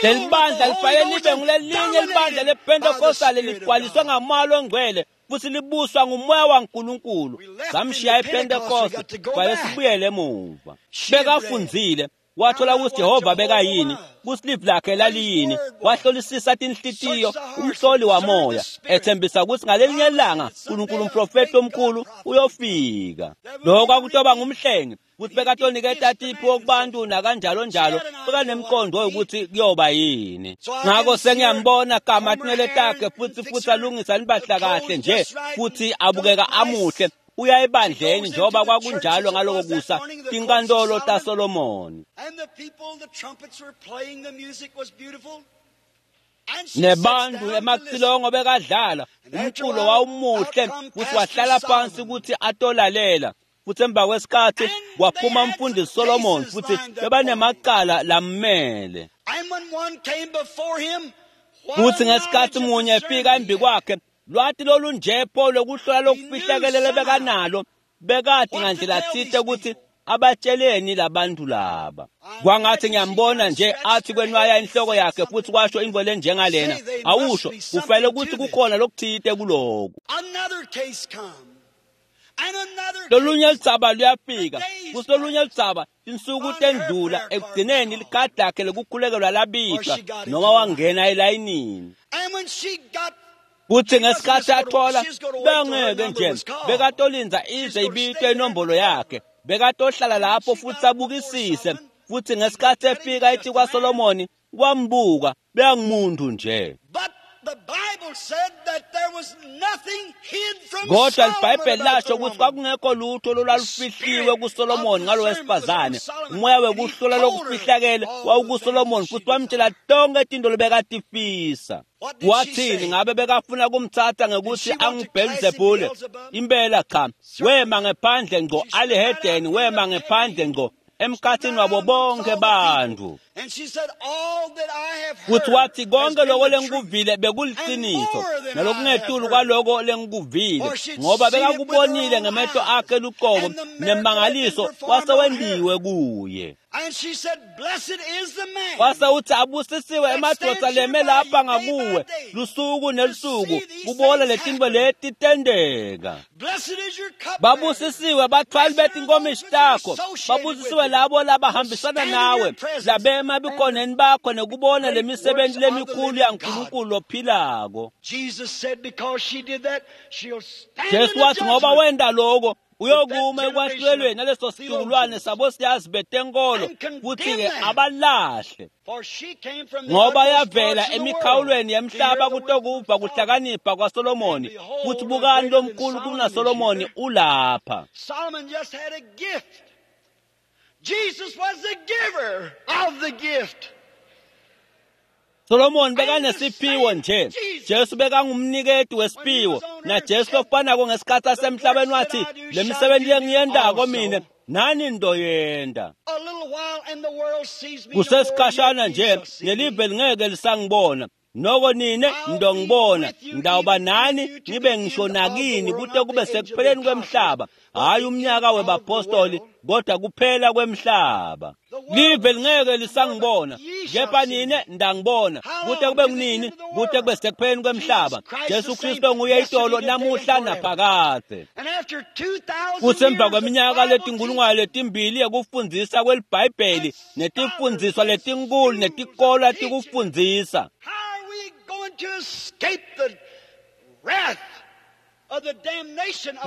lelibandla lifanele libe ngulelinye libandla lePentecostal ligcwaliswe ngamoya ongcwele futhi libuswa ngumoya waNkulunkulu. Samshiya ePentecost, kwaye sibuyele emuva. Bekafundzile, wathola ukuthi Jehova bekayini, ukuthi livi lakhe laliyini, wahlolisisa tinhlitiyo, umhloli wamoya, ethembisa ukuthi ngalelinye ilanga uNkulunkulu umprofeti omkhulu uyofika. Lokho kwakutoba ngumhlengi, ukuthi bekatoniketa tiphiwo kubantu nakanjalo njalo, bekanemqondo wokuthi kuyoba yini. Ngakho sengiyambona gama tinwele takhe futhi alungisa libahla kahle nje, futhi abukeka amuhle. Uya ebandleni njengoba kwakunjalo ngaloko kusa tinkantolo taSolomoni. Nebantu emacilongo bekadlala, umculo wawumuhle futhi wahlala phansi ukuthi atolalela. Futhi emva kwesikhathi kwaphuma umfundisi Solomon futhi bebanemacala lammele. Futhi ngesikhathi munye efika embi kwakhe, lwati lolunjepho lokuhlola lokufihlakelele bekanalo, bekati ngandlela tsite ukuthi abatsheleni labantu laba. Kwangathi ngiyambona nje athi kwenwaya inhloko yakhe futhi kwasho intfo lenjengalena, awusho kufanele ukuthi kukhona lokuthite kuloku. Lolunye ludzaba luyafika, futhi lolunye ludzaba tinsuku tendlula, ekugcineni likhadi lakhe lekukhulekelwa labitwa noma wangena elayinini. Kuthi ngesikhathi athola bengeke nje bekatolinza ize ibitwe inombolo yakhe, bekatohlala lapho futhi abukisise. Futhi ngesikhathi efika ethi kwaSolomoni wambuka beyangumuntu nje. Kodwa iBhayibheli lasho ukuthi kwakungekho lutho olwalufihliwe kuSolomoni ngalo wesifazane. Umoya wekuhlola lokufihlakele wawukuSolomoni futhi wamtshela tonke tinto lobekatifisa. Wathini ngabe bekafuna kumthatha ngekuthi anguBhelzebule? Impela cha, wema ngephandle ngco alihedeni, wema ngephandle ngco emkhathini wabo bonke bantu. Futhi wathi konke lokho lengikuvile bekuliciniso nalokungetulu kwaloko lengikuvile, ngoba bekakubonile ngemehlo akhe luqobo, nemangaliso wasewendiwe kuye. Wase uthi abusisiwe emadvodza leme lapha ngakuwe lusuku nelusuku kubona letintfo leti tenteka. Babusisiwe bathwali betinkomishi takho, babusisiwe labo labahambisana nawe, labema ebukhoneni bakho nekubona lemisebenti lemikhulu yaNkulunkulu lophilako. Jesu wathi ngoba wenta loko uyokuma ekwahlulelweni naleso situkulwane sabosiyazi betenkolo futhi-ke abalahle, ngoba yavela emikhawulweni yemhlaba kutokuva kuhlakanipha kwaSolomoni. Futhi bukani lomkhulu kunaSolomoni ulapha. Jesus was the giver of the gift. Solomon bekanesiphiwo nje, Jesu bekangumniketi wesiphiwo, na Jesu lokufanako ngesikhathi asemhlabeni wathi le misebenzi lengiyendako mina nani ndoyenda. Kusesikhashana nje nelive lingeke lisangibona, noko nine ndongibona, ngidawuba nani ngibe ngisho nakini kute kube sekupheleni kwemhlaba. Hayi umnyaka webapostoli, kodwa kuphela kwemhlaba. Live lingeke lisangibona, kepha nine ndangibona, kute kube kunini, kute kube sekupheleni kwemhlaba. Jesu Kristu nguye itolo namuhla naphakadze. Futhi emva kweminyaka letinkulungwane letimbili yekufundzisa kweliBhayibheli netifundziswa letinkulu netikolwa tikufundzisa,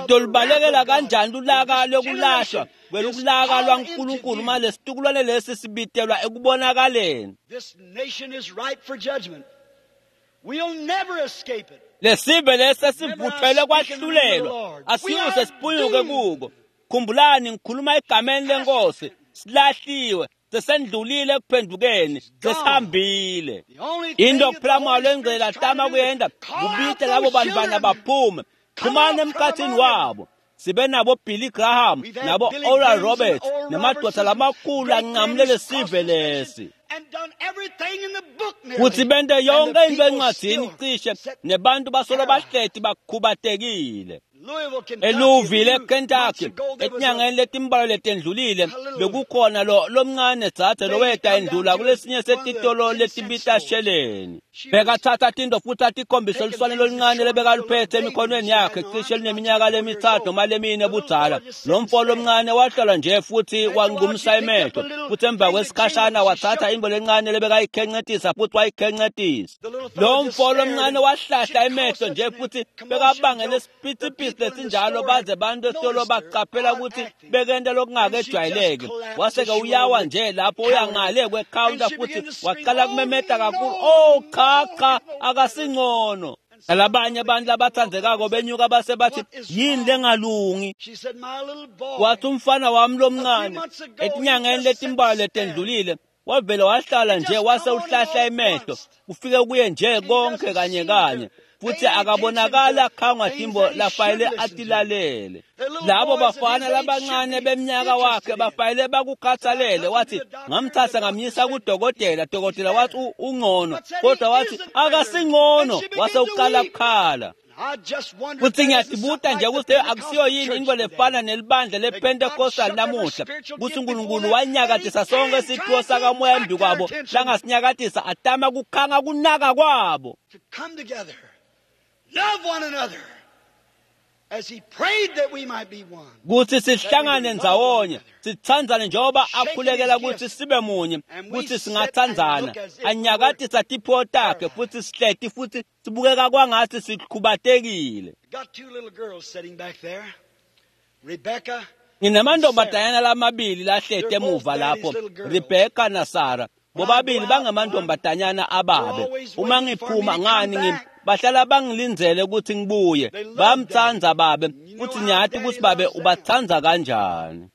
tolubalekela kanjani lulaka lwekulahlwa kwelukulaka lwaNkulunkulu uma lesitukulwane lesi sibitelwa ekubonakaleni? Lesive lesi esivuthelwe kwahlulelwa asiyuze siphunyuke kuko. Khumbulani, ngikhuluma egameni lenkosi, silahliwe, sesendlulile ekuphendukeni, sesihambile. Into kuphela Moya lengcwele atama kuyenda kubita labo bantwana baphume, phumani emkhathini wabo. Sibe nabo Billy Graham nabo Oral Roberts nemadoda lamakhulu anqamulele sive lesi, futhi bente yonke into encwadini cishe, nebantu basolo bahleti bakhubatekile. ELouisville eKentucky etinyangeni letimbalwa letendlulile bekukhona lo lomncane dzadze loweta endlula kulesinye setitolo letibita sheleni. Bekathatha tinto futhi atikhombise luswane loluncane lebekaluphethe emikhonweni yakhe cishe luneminyaka lemithathu noma lemine budzala. Lo mfo lomncane wahlala nje futhi wangumsa emehlo, futhi emva kwesikhashana wathatha into lencane lebekayikhencetisa futhi wayikhencetisa. Lo mfo lomncane wahlahla emehlo nje futhi bekabangele isiphithiphithi lesinjalo baze bantu esitolo baqaphela ukuthi bekenta lokungakejwayeleki. Wase-ke uyawa nje lapho uya ngale kwekhawunta futhi waqala kumemeta kakhulu, oh cha cha, akasingcono. Nalabanye abantu labathandzekako benyuka base bathi yini lengalungi? Wathi umfana wami lomncane etinyangeni letimbalwa letendlulile wavele wahlala nje wase uhlahla emehlo, kufike kuye nje konke kanye kanye, futhi akabonakala akhangwa timbo lafayele atilalele. Labo bafana labancane beminyaka wakhe bafayele bakukhathalele. Wathi ngamthatha ngamyisa kudokotela, dokotela wathi ungcono, kodwa wathi akasingcono, wase uqala kukhala. Futsi ngiyatibuta nje kutsi akusiyo yini intfo lefana nelibandla lePentecostal namuhla, kutsi uNkulunkulu wanyakatisa sonke siphiwo sakamoya embi kwabo, langasinyakatisa atama kukhanga kunaka kwabo. Kutsi sihlangane ndzawonye, sitsandzane njengoba akhulekela kutsi sibe munye, kutsi singatsandzana. Anyakatisa tiphiwo takhe futsi sihleti futsi sibukeka kwangatsi sikhubatekile. Nginemantombazanyana lamabili lahleti emuva lapho, Rebecca naSara. Bobabili bangemantombazanyana ababe. Uma ngiphuma ngani bahlala bangilindzele ukuthi ngibuye. Bayamtsandza babe, futhi ngiyati ukuthi babe ubatsandza kanjani.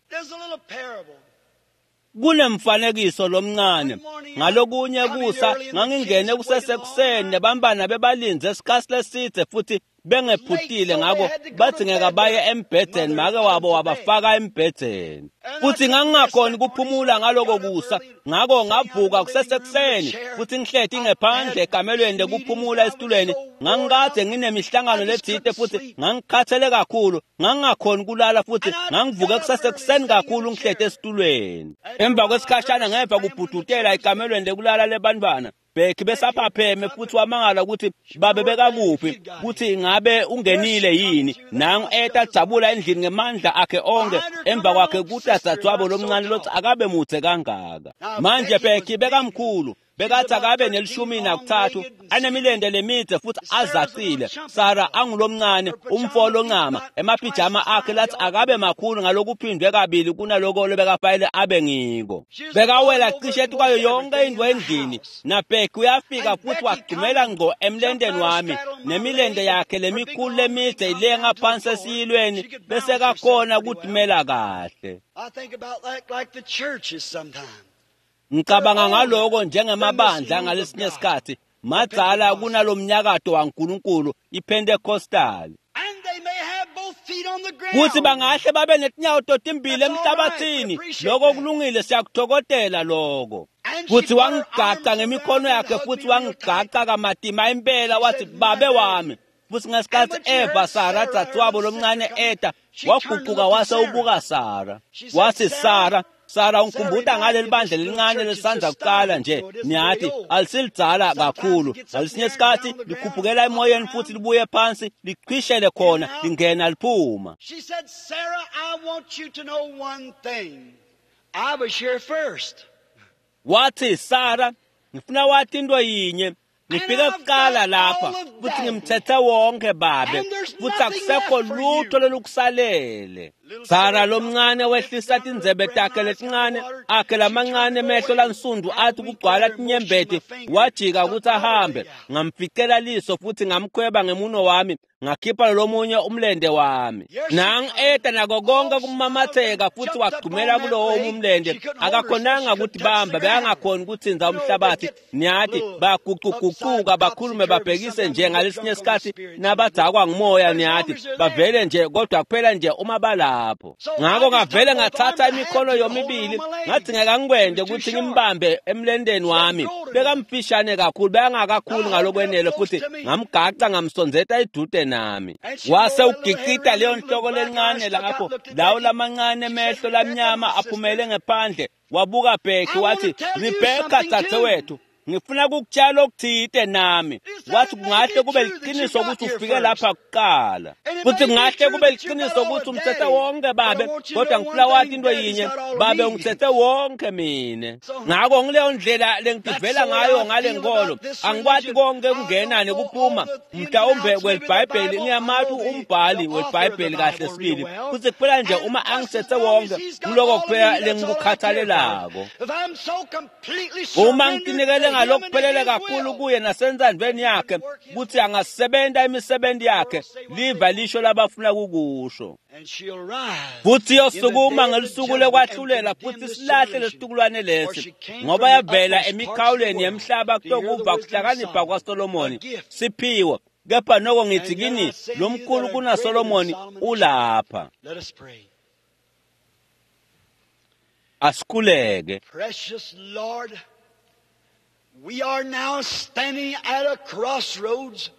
Kunemfanekiso lomncane. Ngalokunye kusa ngangingene kusesekuseni nebantfwana bebalindze isikhatsi lesidze futhi bengephutile, ngako badzingeka baye embhedzeni, make wabo wabafaka embhedzeni. Futhi ngangingakhoni kuphumula ngaloko kusa, ngako ngavuka kusesekuseni futhi ngihleti ngephandle ekamelweni lekuphumula esitulweni. Ngangikade nginemihlangano letsite futhi ngangikhathele kakhulu, ngangingakhoni kulala futhi ngangivuke kusesekuseni kakhulu ngihleti esitulweni. Emva kwesikhashana ngeva kubhudutela ekamelweni lekulala lebantfwana. Becky besaphapheme futhi wamangala ukuthi babe bekakuphi, kuthi ingabe ungenile yini. Nangu eta jabula endlini ngemandla akhe onke, emva kwakhe kutadzadzwabo lomncane lotsi akabe mudze kangaka. Manje Becky bekamkhulu, bekathi akabe ne-13 anemilente lemidze futhi azacile. Sara angulomncane, umfo loncama, emapijama akhe lathi akabe makhulu ngalokuphindwe kabili kunaloko lobekafanele abe ngiko. Bekawela cishe kwayo yonke indlu endlini. NaBecky uyafika futhi wagxumela ngqo emlenteni wami, nemilente yakhe lemikhulu lemidze ilenga phansi esiyilweni, bese kakhona kutimela kahle. Ngicabanga ngaloko njengemabandla ngalesinye isikhathi madzala kunalomnyakato waNkulunkulu iPentecostal. Kuthi bangahle babe netinyawo totimbili emhlabathini, lokho kulungile, siyakuthokozela lokho. Kuthi wangigaca ngemikhono yakhe futhi wangigaca kamatima impela, wathi babe wami. Futhi ngesikhathi eva Sara dzadzewabo lomncane eta, waguquka wase ubuka Sara. Wathi Sara, Sara ungikhumbuta ngaleli bandla lelincane lesandza kuqala nje, niyathi alisilidzala kakhulu. Ngalesinye isikhathi likhuphukela emoyeni futhi libuye phansi liqhishele khona, lingena liphuma. She said, Sarah, I want you to know one thing. I was here first. Wathi Sara, ngifuna wathi into yinye. Ngifike kuqala lapha futhi ngimthethe wonke babe, futhi akusekho lutho lolukusalele. Sara lomncane wehlisa tindzebe takhe letincane akhe lamancane emehlo lansundu athi kugcwala tinyembeti, wajika ukuthi ahambe. Ngamficela liso futhi ngamkhweba ngemuno wami, ngakhipha lomunye umlende wami. Nangu eta nako konke kumamatheka futhi wagxumela kulowo umlende. Akakhonanga ukuthi bamba, bekangakhoni ukuthinza umhlabathi. Niyathi baguquguquka bakhulume babhekise nje ngalesinye isikhathi nabadzakwa ngumoya, niyathi bavele nje, kodwa kuphela nje uma balapho. Ngako ngavele ngathatha imikhono yomibili, ngadzingeka ngikwende ukuthi ngimbambe emlendeni wami. Bekamfishane kakhulu, bekangakakhulu ngalokwenele, futhi ngamgaca ngamsondzeta edude nami. Wase ugicita leyo nhloko lencane lapho, lawo lamancane emehlo lamnyama aphumele ngephandle. Wabuka Becky wathi, Rebecca dzadzewethu, ngifuna kukutshela okuthite nami. Wathi kungahle kube liqiniso ukuthi ufike lapha kuqala, futhi kungahle kube liqiniso ukuthi umthethe wonke babe, kodwa ngifuna wathi into yinye babe, ungithethe wonke mina. Ngako ngileyo ndlela lengitivela ngayo ngale nkolo. Angikwati konke kungena nekuphuma mhlawumbe kweliBhayibheli, ngiyamati umbhali weBhayibheli kahle sibili, futhi kuphela nje uma angithethe wonke, ngiloko kuphela lengikukhathalelako. Uma ngitinikele ngalokuphelele kakhulu kuye nasentsandvweni yakhe, kutsi angasebenta imisebenzi yakhe, liva lisho labafuna kukusho. Futhi yosukuma ngelusuku lekwahlulela futhi silahle lesitukulwane lesi, ngoba yavela emikhawulweni yemhlaba kutokuva kuhlakanipha kwaSolomoni siphiwo. Kepha noko ngithi kini, lomkhulu kunaSolomoni ulapha. Asikhuleke. Precious Lord, we are now standing at a crossroads.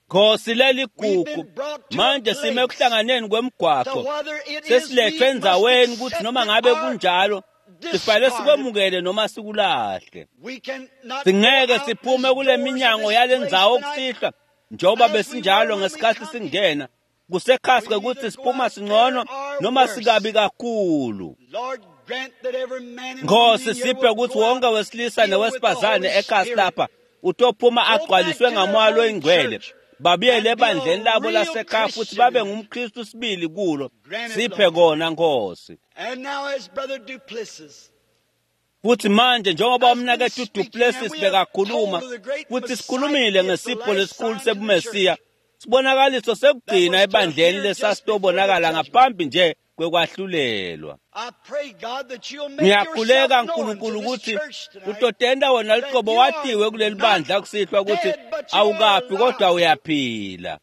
Nkosi leligugu, manje sime ekuhlanganeni kwemgwaqo, sesiletfwe endzaweni kutsi noma ngabe kunjalo sifanele sikwemukele noma sikulahle. Singeke siphume kule minyango yale ndzawo kusihlwa njengoba besinjalo ngesikhathi singena. Kusekhasi kwekutsi siphuma singcono noma sikabi kakhulu. Nkosi, siphe kutsi wonke wesilisa newesifazane ekhasi lapha utophuma agcwaliswe ngamoya loyingcwele, babuyele ebandleni labo lasekhaya futhi babe ngumKristu sibili kulo. Siphe kona, Nkosi. Futhi manje njengoba umnaketfu Duplessis bekakhuluma, futhi sikhulumile ngesipho lesikhulu sebuMesiya, sibonakaliso sekugcina ebandleni lesasitobonakala ngaphambi nje kwekwahlulelwa. Ngiyakhuleka Nkulunkulu ukuthi utotenda wena luqobo watiwe kuleli bandla kusihlwa ukuthi awukafi kodwa uyaphila.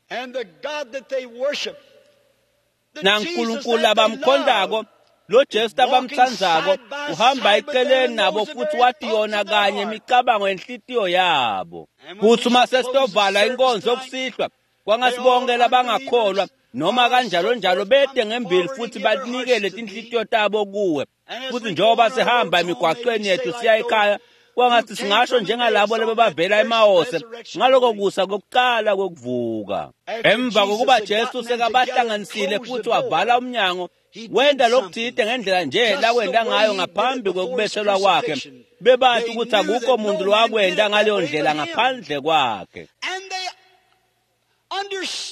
NaNkulunkulu abamkhondako lo Jesu abamtsandzako uhamba eceleni nabo futhi wathi yona kanye imicabango yenhlitiyo yabo. Kuthi uma sesitovala inkonzo kusihlwa, kwangasibonke labangakholwa noma kanjalo njalo bede ngembili futhi banikele tinhlitiyo tabo kuwe. Futhi njengoba sihamba emigwaqweni yethu siya ekhaya, kwangathi singasho njengalabo lebebavela eMawose ngaloko kusa kokuqala kokuvuka. Emva kokuba Jesu sekabahlanganisile futhi wavala umnyango, wenda lokuthide ngendlela nje lakwenda ngayo ngaphambi kwekubethelwa kwakhe. Bebathi ukuthi akukho muntu lowakwenda ngaleyo ndlela ngaphandle kwakhe.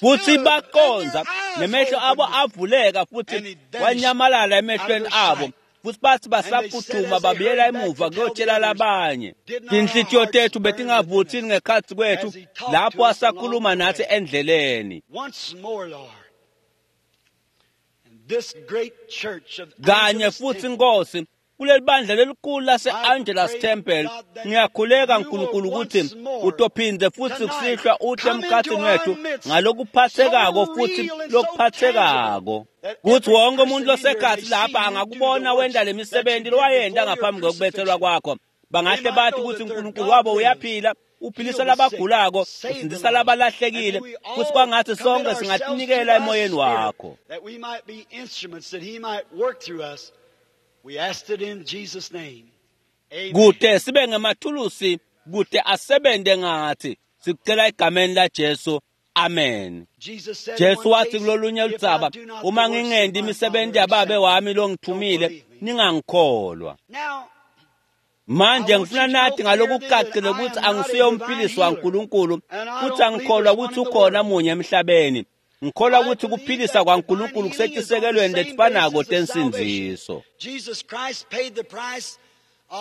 Futhi baqonza nemehlo abo avuleka futhi wanyamalala emehlweni abo. Futhi bathi basaphuthuma babuyela emuva kuyotshela labanye. Tinhlitiyo tethu betingavuthini ngekhatsi kwethu lapho asakhuluma nathi endleleni. Kanye futhi Nkosi, kuleli bandla lelikhulu lase-Angelus Temple, ngiyakhuleka Nkulunkulu ukuthi utophinde futhi kusihlwa uhle emkhathini wethu ngalokuphathekako futhi lokuphathekako, kuthi wonke umuntu losekhathi lapha angakubona wenda le misebenzi lowayenda ngaphambi kokubethelwa kwakho. Bangahle bathi ukuthi uNkulunkulu wabo uyaphila, uphilisa labagulako, usindisa labalahlekile, futhi kwangathi sonke singatinikela emoyeni wakho. Kude sibe ngemathulusi, kude asebente ngathi. Sikucela egameni laJesu. Amen. Jesu wathi kulolunye ludzaba, uma ngingendi imisebenzi yababe wami longithumile, ningangikholwa. Manje ngifuna nathi ngalokucacile ukuthi angisiye umphilisi waNkulunkulu, futhi angikholwa ukuthi ukhona munye emhlabeni. Ngikholwa ukuthi kuphilisa kwaNkulunkulu kusetisekelweni letifanako tensindziso.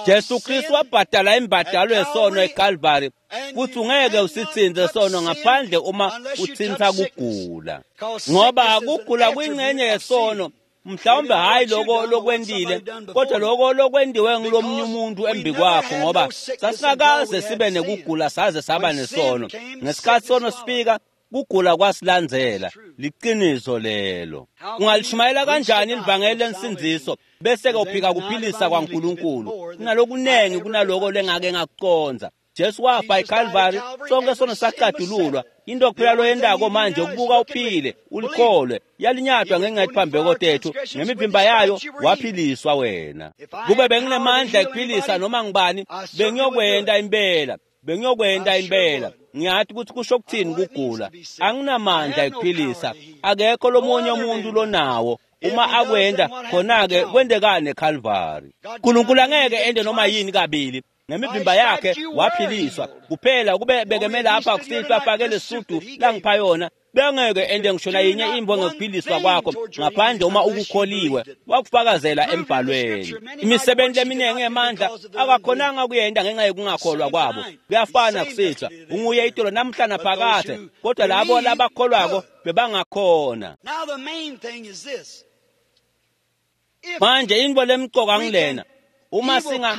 Jesu Kristu wabhadala imbadalo yesono eKalvari, futhi ungeke usithinze sono ngaphandle uma uthintha kugula, ngoba kugula kuyingxenye yesono. Mhlawumbe hayi lokho lokwendile, kodwa lokho lokwendiwe ngulomnye umuntu embi kwakho, ngoba sasingakaze sibe nekugula saze saba nesono. Ngesikhathi sono sifika, kugula kwasilandzela. Liqiniso lelo. Ungalishumayela kanjani livangeli lensindziso bese ke uphika kuphilisa kwaNkulunkulu? Kunalokunengi kunaloko lengake ngakuconza. Jesu wafa eKalvari, sonke sono saqadululwa. Into kuphela loyendako manje ukubuka uphile, ulikholwe. Yalinyatwa ngenxa yetiphambeko tethu, ngemivimba yayo waphiliswa wena. Kube benginemandla ekuphilisa noma ngibani, bengiyokwenda impela. Bengiyokwenda impela. Ngiyathi ukuthi kusho ukuthini kugula. Anginamandla ekuphilisa. Akekho lomunye umuntu lonawo. Uma akwenda khona-ke kwendekani eKalvari. uNkulunkulu angeke ende noma yini kabili. Ngemivimba yakhe waphiliswa. Kuphela kube bekeme lapha kusihlwa afake lesudu langipha yona, bengeke ende ngisho nayinye imvo ngekuphiliswa kwakho ngaphandle uma ukukholiwe. Wakufakazela embhalweni. Imisebenzi eminingi yemandla akakhonanga kuyenda ngenxa yokungakholwa kwabo. Kuyafana kusihlwa, unguye itolo namhla naphakade, kodwa labo labakholwako bebangakhona. Manje into lemcoka ngilena, uma singa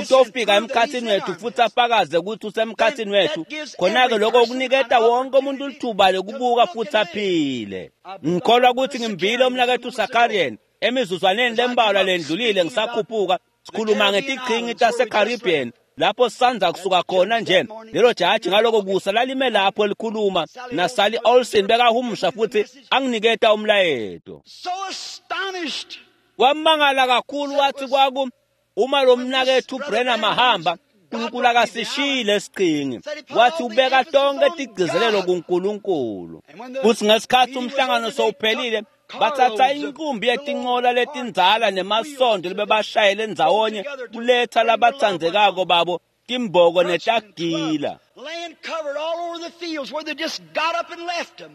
utofika emkhathini wethu futhi afakaze ukuthi usemkhathini wethu, khona-ke lokho kuniketa wonke umuntu lithuba lokubuka futhi aphile. Ngikholwa ukuthi ngimvile umnaketfu Zakarian emizuzwaneni lembalwa lendlulile ngisakhuphuka sikhuluma ngetiqhingi taseCaribbean, Lapho sisandza kusuka khona nje, lelo jaji ngaloko kusa lalime lapho likhuluma naSally Olsen bekahumusha futhi anginiketa umlayeto. So astonished. Wamangala kakhulu wathi kwaku uma lo mnakethu Branham ahamba, uNkulunkulu akasishiyile esiqhingi. Wathi ubeka tonke tigcizelelo kuNkulunkulu. Futhi ngesikhathi umhlangano sowuphelile, bathatha inqumbi yetincola letindzala nemasondo lebebashayele ndzawonye kuletha labatsandzekako babo timboko netagila. Land covered all over the fields where they just got up and left them.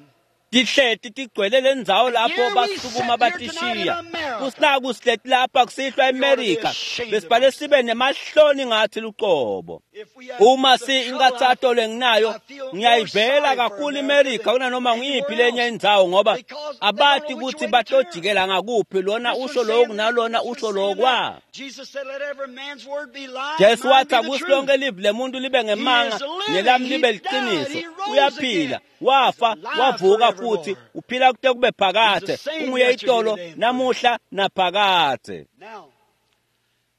Tihleti tigcwele lendzawo lapho basukuma batishiya. Kusinaku sihleti lapha kusihlwa eMerika, besibale sibe nemahloni ngathi luqobo. If we had Uma the si trouble inkathato lenginayo, I feel more ngiyayivela sorry for kakhulu America iMerika than kunanoma ngiyiphi anywhere lenye else indzawo ngoba because they don't abati know which kutsi way to turn. batojikela ngakuphi lona This usho one's loku saying nalona this, this usho one's saying lokwa. that. Jesus said, let every man's word be lie, Jesu mine wathi be the akusi truth. lonke livi lemuntu libe He ngemanga is living. nelami He libe died. liqiniso. He rose Uyaphila, again. He's wafa, alive wavuka futhi, forevermore. uphila kute kube He's the phakade. same Unguye yesterday, itolo, today, and forever. namuhla naphakade. Now,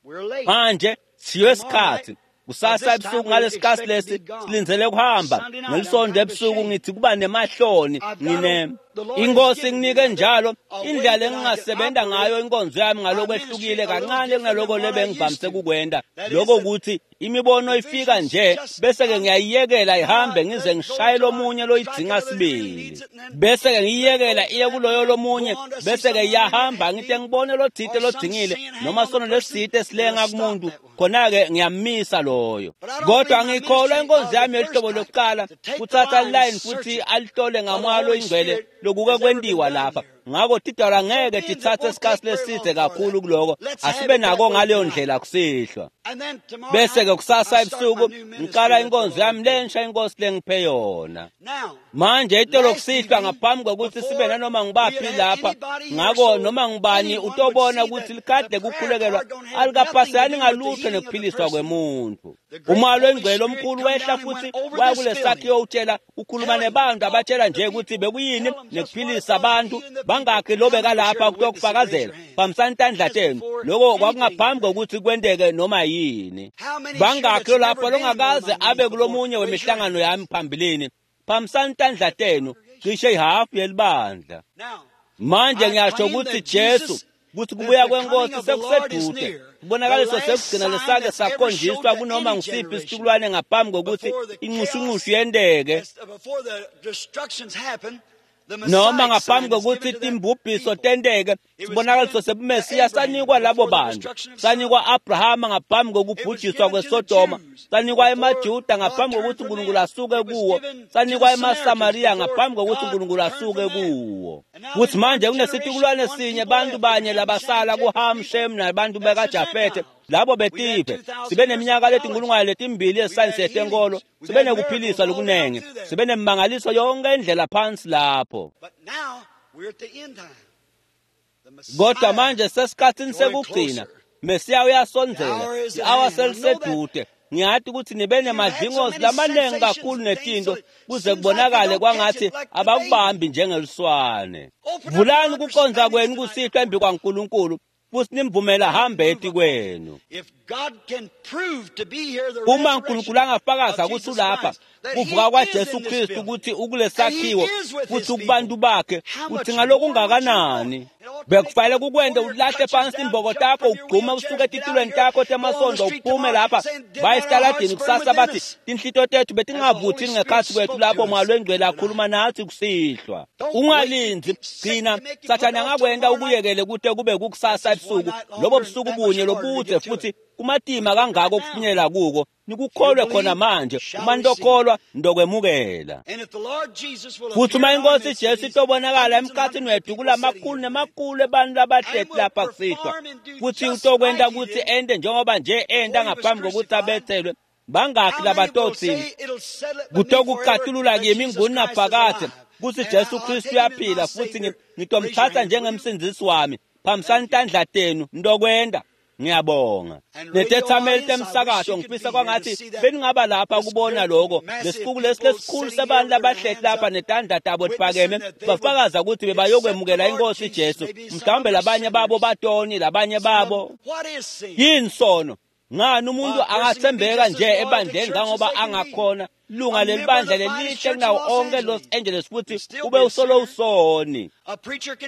we're late. Manje siyo Tomorrow isikhathi. night, at Kusasa this time, ebusuku we ngalesikhathi expect to be lesi gone. silindzele kuhamba. Sunday night, I'm Ngelisonto kind of ebusuku ashamed. ngithi kuba nemahloni I've got ngine the Lord has inkosi given me, nginike brother, njalo a way indlela that I can engingasebenta operate ngayo inkonzo yami my ngalokwehlukile ministry a little kancane different than kunaloko what I used lebengivamise to. kukwenta. That is, Lokho that ukuthi imibono the ifika visions nje just bese ke come ngiyayiyekela and I ihambe let ngize it go ngishaye till I lomunye strike loyidzinga another that really sibili. needs it, and then Bese ke let it ngiyiyekela go to iye that, kuloyo and then go lomunye on to see bese ke someone who really iyahamba had ngite need, ngibone lotsite or some lodzingile sin hang noma on the sono person, lesitsite and I silenga stop kumuntu that one. khona ke ngiyamisa loyo. But I don't Kodwa believe my ngikholwa ministry inkonzo of the yami first yohlobo type lokuqala to take the kuthatha line and line search futhi it alihlole by the ngamoya Holy loyingcwele Spirit lokuke has ever been kwentiwa done lapha. here. Ngakho tidalwa So ngeke being it tithathe won't isikhathi take very long leside for kakhulu that. kuloko. Let's have Asibe it that nako way ngaleyo tonight. ndlela kusihlwa. And then tomorrow Bese night, ke kusasa I start my ebusuku new ministry ngiqala that the inkonzo Lord yami gave me. lensha inkosi lengiphe yona. Now, Manje itolo last kusihlwa evening, ngaphambi kokuthi sibe before nanoma we ngibaphi had had lapha, anybody here, ngako so noma ngubani anyone would utobona see ukuthi that the likhadi prayer lekukhulekelwa card don't have nothing to alikaphaselani do with the ngalutho healing of the nekuphiliswa person. kwemuntu. The great Umoya Holy loyingcwele Spirit omkhulu come wehla down and futhi went over waya this kule building, sakhiwo utshela ukhuluma telling, nebantu talking abatshela to the nje ukuthi people, bekuyini tell them just what it nekuphilisa was, abantu healing the people. bangakhi How lobeka many was here lapha to witness it? Raise kutokufakazela your hand. phambisani tandla That's tenu. before Loko anything kwakungaphambi happened. kokuthi kwenteke noma yini. How many is here Bangakhi that's lo lapha never been in one of longakaze my abe meetings before? kulomunye Raise your wemihlangano hand. yami phambilini. Phambisani tandla tenu cishe ihhafu yelibandla. Now, Manje I ngiyasho claim ukuthi that Jesu Jesus, kuthi that kubuya the coming kwenkosi of the Lord is sekusedude. near. The Kubonakaliso last sekugcina sign lesake that's ever showed sakhonjiswa to kunoma any ngisiphi generation isitukulwane ngaphambi kokuthi before the chaos, inxushunxushu yenteke before the destructions happen, the noma Messiah ngaphambi sign is kokuthi given to that timbubhiso people. tenteke It was sibonakaliso given to sebumesiya Abraham sanikwa labo before the bantu destruction of sanikwa Sodom. Abrahama ngaphambi It was kokubhujiswa given to the kweSodoma Jews sanikwa before emaJuda God ngaphambi turned kokuthi from uNkulunkulu them. asuke It was kuwo given to the sanikwa Samaritans emaSamariya before ngaphambi kokuthi God uNkulunkulu turned asuke from them. kuwo And now kuthi there's one manje generation, kunesitukulwane one sinye people bantu left, banye Ham, Shem, labasala and Japheth kuHam people. Shem nabantu That's the bekaJafethe Gentiles. labo We've had betive 2,000 sibe years of neminyaka theology. letinkulungwane letimbili We've yesayensi had yetenkolo healings. We've sibe had nekuphiliswa miracles all down lokunengi through there. sibe nemimangaliso yonke indlela phansi lapho. But now we're at the end time. The Kodwa Messiah manje sesikhathini drawing sekugcina closer. Mesiya The uyasondzela hour is at i-awa hand. I know that selisedude. Ngiyati ukuthi nibe you've had so nemadlingozi many lamaningi sensations kakhulu and things, so netinto it kuze seems like they kubonakale don't catch kwangathi it like the baby. abakubambi njengeluswane. Open up your Vulani kukonza understandings kwenu tonight, kusihlwa embi Lord. kwaNkulunkulu futhi nimvumele Let it ahambe move eti upon you. kwenu. If God can prove to be here the Uma resurrection uNkulunkulu angafakaza of ukuthi Jesus ulapha Christ, that He kuvuka is kwaJesu in this Kristu building, ukuthi and He ukulesakhiwo is with futhi His kubantu people, bakhe how uthi much more would you want? ngalokungakanani It ought to make bekufanele you kukwente pull your ulahle crutches phansi down, imboko jump takho from your ugqume wheelchairs, usuke get out of etitulweni here, takho go on the temasondo street uphume tomorrow lapha saying, Did baye not our hearts esitaladini burn kusasa within bathi us? tinhlito tethu As the Holy betingavuthini Spirit ngekhatsi kwethu spoke lapho to moya us lwengcwele tonight. akhuluma nathi kusihlwa. Don't wait to Ungalindzi keep sick gcina to make you put sathane off till angakwenta tomorrow night. ukuyekele kute kube kukusasa That's just one ebusuku night lobo longer and busuku that much bunye harder to lobudze get to futhi it. kumatima Right kangako now, ukufinyelela kuko if you nikukholwe khona believe, manje shall uma receive. nitokholwa nitokwemukela. And if the Lord Jesus will Futhi appear uma in our inkosi midst to Jesu these itobonakala hundreds and emkhathini hundreds of wethu people sitting kulamakhulu here tonight, nemakhulu ebantfu labahleti and will lapha kusihlwa perform and do futhi just utokwenta like He kutsi did ente njengoba nje enta before He was ngaphambi kokuthi crucified, abethelwe bangakhi how many will labatotsini say it'll settle it with me forever kutokucatulula that kimi Jesus Christ is ngunaphakadze alive kutsi and Jesu I'll Kristu take Him as my uyaphila futhi Savior? Raise your ngitomtsatsa hand, will you? njengemsindzisi wami phambisani Thank you. tandla tenu ntokwenta. Ngiyabonga. And radio Netethameli audience, I wish temsakato you could ngifisa be here to kwangathi see that beningaba lapha this kubona great lokho mass of lesicuku lesi people lesikhulu sitting here sabantu with their labahleti hands lapha up, netandla tabo witnessing tiphakeme that they would bafakaza ukuthi accept the bebayokwemukela Lord inkosi Jesus. Jesu Maybe some of mhlawumbe them are labanye babo sinners. batoni labanye Some of them, babo what is sin? yini sono Ngani umuntu angathembeka nje ebandleni ngangoba angakhona lunga lelibandla lelihle kunawo onke Los Angeles futhi ube usolo usoni.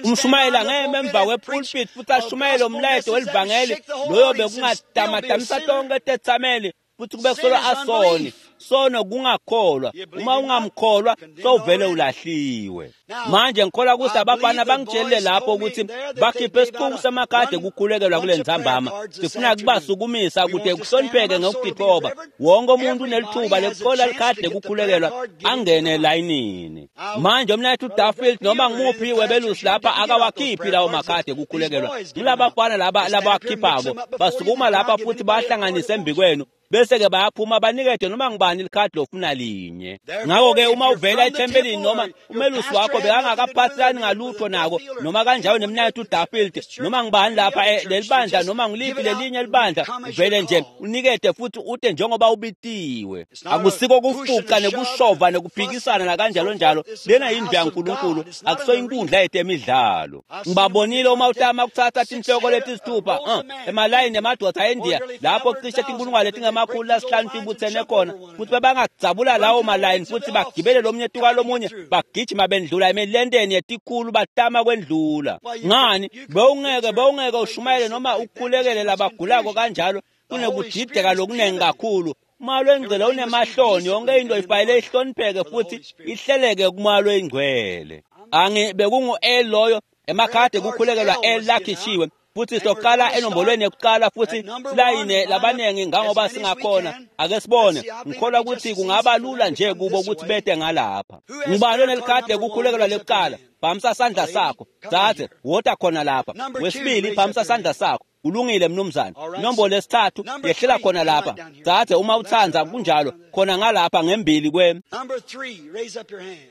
Umshumayela ngeme emva kwepulpit futhi ashumayele umlayeto welivangeli loyo bekungatamatamisa tonke tetsameli futhi kube kusolo asoni. Sono kungakholwa. Uma ungamkholwa sowuvele ulahliwe. Manje ngikholwa ukuthi abafana bangitshelile lapho ukuthi bakhiphe isiqubu samakhadi kukhulekelwa kule ntsambama. Sifuna kubasukumisa ukuze kuhlonipheke ngokutithoba. Wonke umuntu unelithuba lekuthola likhadi lekukhulekelwa angene elayinini. Manje umnayethu Duffield noma ngimuphi webelusi lapha akawakhiphi lawo makhadi ekukhulekelwa. Ngilabafana laba labakhiphako basukuma lapha futhi bahlanganise embikwenu bese ke bayaphuma banikede noma ngibani likhadi lofuna linye. Ngakho ke uma uvela ethempelini noma umelusi wakho bekangakaphathelani ngalutho nako noma kanjalo nemnayethu Duffield noma ngibani lapha lelibandla noma ngiliphi lelinye libandla uvele nje unikede futhi ute njengoba ubitiwe. Akusiko kufuqa nekushova nekuphikisana nakanjalo njalo. Lena yindlu yaNkulunkulu, akuso inkundla yetemidlalo. Ngibabonile uma utama kuthatha tinhloko letisithupha emalayini emadoda eNdiya lapho cishe tinkulungwane letingamakhulu lasihlanu tibuthene khona futhi bebangadzabula lawo malayini futhi bagibele lomunye tuka lomunye bagijima bendlula emilenteni yetikhulu batama kwendlula. Ngani bewungeke ushumayele noma ukhulekele labagulako kanjalo kunekudideka lokunengi kakhulu. Umalo engcwele unemahloni, yonke into ifanele ihlonipheke futhi ihleleke kumalo engcwele. Angi bekungu L loyo emakhadi kukhulekelwa L lakhishiwe futhi soqala enombolweni yokuqala futhi silayine labanengi ngangoba singakhona. Ake sibone, ngikholwa ukuthi kungaba lula nje kubo ukuthi bete ngalapha. Ngibani onelikhadi lekukhulekelwa lekuqala? Phamisa sandla sakho. Dzadze, wota khona lapha. Wesibili, phamisa sandla sakho. Kulungile mnumzane. Inombolo lesithathu yehlela khona lapha. Dzadze, uma utsandza kunjalo, khona ngalapha ngembili kwe. Number 3, raise up your hand.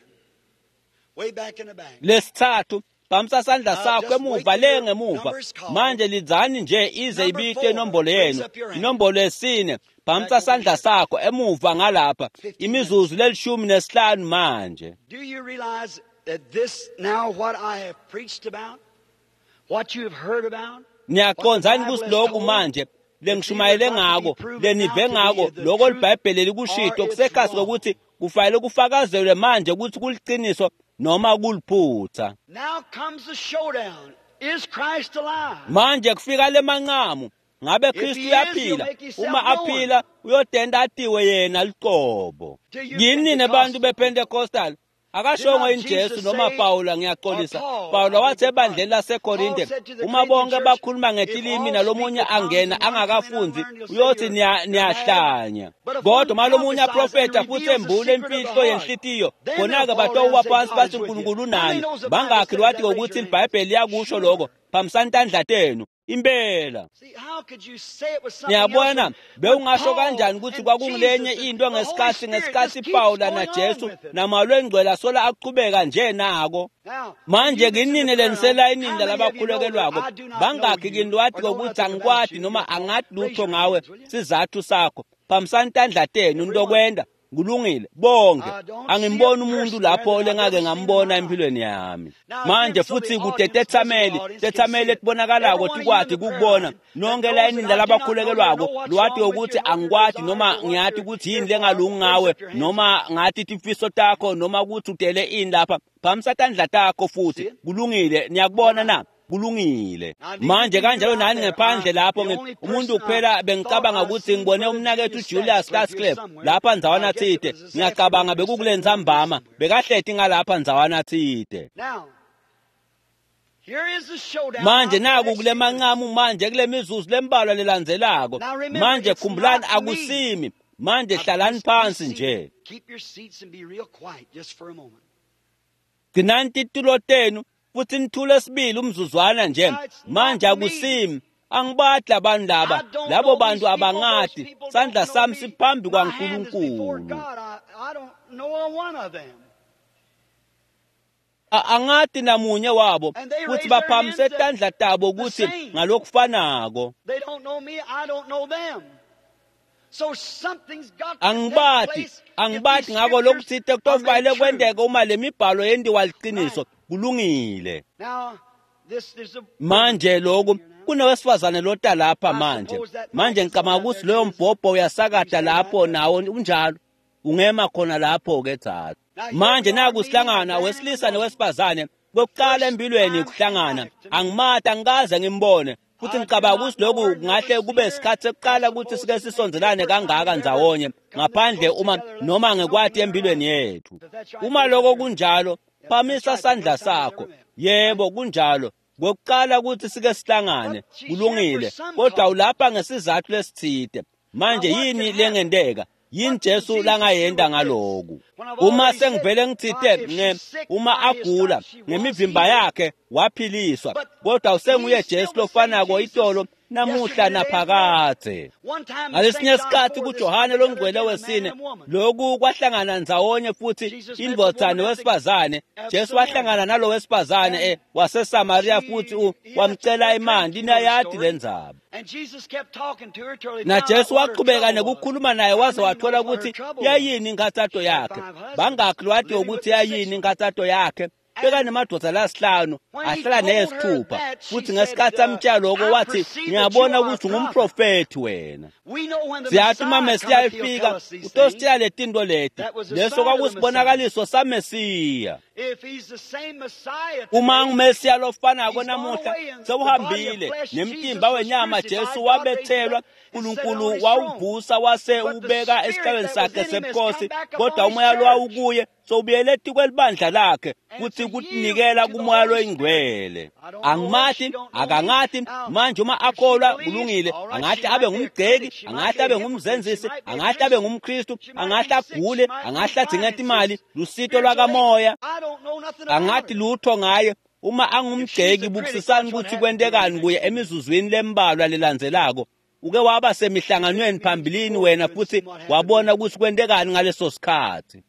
Way back in the back. Lesithathu phamisa sandla sakho emuva le ngemuva. Manje lidzani nje ize ibite inombolo yenu. Inombolo yesine, phamisa sandla sakho emuva ngalapha. Imizuzu lelishumi nesihlanu manje. Do you realize that this now what I have preached about, what you have heard about? Niyaqondzani kusilokhu manje lengishumayele ngako, lenive ngako, lokho liBhayibheli likushito kusekhasi kokuthi kufanele kufakazelwe manje ukuthi kuliciniso noma kuliphutha. Now comes the showdown. Is Christ alive? Manje kufika lemanqamu. Ngabe Kristu uyaphila? Uma aphila uyodenda atiwe yena luqobo. Yini nebantu bePentecostal? Akashongo inJesu noma Paula, ngiyaxolisa. Paula wathi ebandleni laseKorinte, uma bonke bakhuluma ngetilimi nalomunye angena angakafunzi uyothi niyahlanya. Kodwa uma lomunye aprofetha futhi embule imfihlo yenhlitiyo, khona-ke batowa phansi bathi uNkulunkulu unani. Bangakhi lwathi ngokuthi iBhayibheli liyakusho lokho? Phamisani tandla tenu. Impela. Niyabona, bewungasho kanjani ukuthi kwakungulenye into ngesikhathi Paula naJesu namalo engcwele asola aqhubeka nje nako. Manje kinini leniselayinini lalabakhulekelwako? Bangakhi kini lwathi kokuthi angikwati noma angathi lutho ngawe sizathu sakho? Phamisani tandla tenu ntokwenda. Kulungile bonke. Angimboni umuntu lapho lengake ngambona empilweni yami. Manje futhi kude tethameli etibonakalako tikwati kukubona nonke layinini lalabakhulekelwako lwati ukuthi angikwati noma ngiyathi ukuthi yini lengalungi ngawe noma ngathi tifiso takho noma ukuthi udele ini lapha. Phamisa tandla takho futhi. Kulungile, niyakubona na? Kulungile. Manje kanjalo nani ngephandle lapho umuntu kuphela bengicabanga ukuthi ngibone umnakethu Julius Starsclef lapha ndzawana thide. Ngiyacabanga bekukule ntsambama bekahleti ngalapha ndzawana thide. Manje naku kule manqamu manje kule mizuzu lembalwa lelandzelako. Manje khumbulani akusimi. Manje hlalani phansi nje. Gcinani titulo tenu futhi nithule sibili umzuzwana nje. Manje akusimi, angibadla abantu laba, labo bantu abangati. Sandla sami siphambi kwaNkulunkulu. Angati namunye wabo futhi baphamise tandla tabo ukuthi ngalokufanako. Angibati ngako lokuthite kutofanele kwenteke uma le mibhalo yendiwa liqiniso. Kulungile. Manje lokhu Kunowesifazane lota lapha manje. Manje ngicabanga ukuthi loyo mbhobho uyasakada lapho nawo unjalo. Ungema khona lapho ke dzadze. Manje naku sihlangana wesilisa nowesifazane kokuqala empilweni kuhlangana. Angimati, angikaze ngimbone. Futhi ngicabanga ukuthi lokhu kungahle kube isikhathi sekuqala ukuthi sike sisondelane kangaka ndzawonye ngaphandle uma noma ngekwati empilweni yethu. Uma lokho kunjalo, phamisa sandla sakho. Yebo, kunjalo. Kokuqala ukuthi sike sihlangane, kulungile. Kodwa ulapha ngesizathu lesithide. Manje yini lengenteka? Yini Jesu langayenda ngaloku? Uma sengivele ngitsite uma agula ngemivimba yakhe waphiliswa, kodwa usenguye Jesu lofanako itolo namuhla naphakadze. Ngalesinye isikhathi kuJohane longcwele wesine, lokhu kwahlangana ndzawonye futhi indvodza nowesifazane. Jesu wahlangana nalo wesifazane waseSamaria futhi wamcela imali. Niyayati lendzaba. Na Jesu waqhubeka nekukhuluma naye waze wathola ukuthi yayini inkathato yakhe. Bangakhi lwati ukuthi yayini inkathato yakhe? Bekanemadoda lasihlanu ahlala neyesithupha, futhi ngesikhathi amtshela lokho wathi, ngiyabona ukuthi ungumprofethi wena. Siyathi uma Mesiya efika utositshela letinto leti. Leso kwakusibonakaliso saMesiya. Uma nguMesiya lofanako namuhla sewuhambile nemtimba wenyama Jesu wabethelwa, uNkulunkulu wawuvusa wase ubeka esihlalweni sakhe sebukhosi, kodwa umoya lwawukuye sowubuyele etikwelibandla lakhe futhi kutinikela kumoya loyingcwele. Angimati, akangati. Manje uma akholwa kulungile, angahle abe ngumgceki, angahle abe ngumzenzisi, angahle abe ngumKristu, angahle agule, angahle adzinge imali, lusito lwakamoya. Angathi lutho ngaye. Uma angumgceki, bukisisani ukuthi kwentekani kuye emizuzwini lembalwa lelandzelako. Uke waba semihlanganweni phambilini wena futhi wabona ukuthi kwentekani ngaleso sikhathi.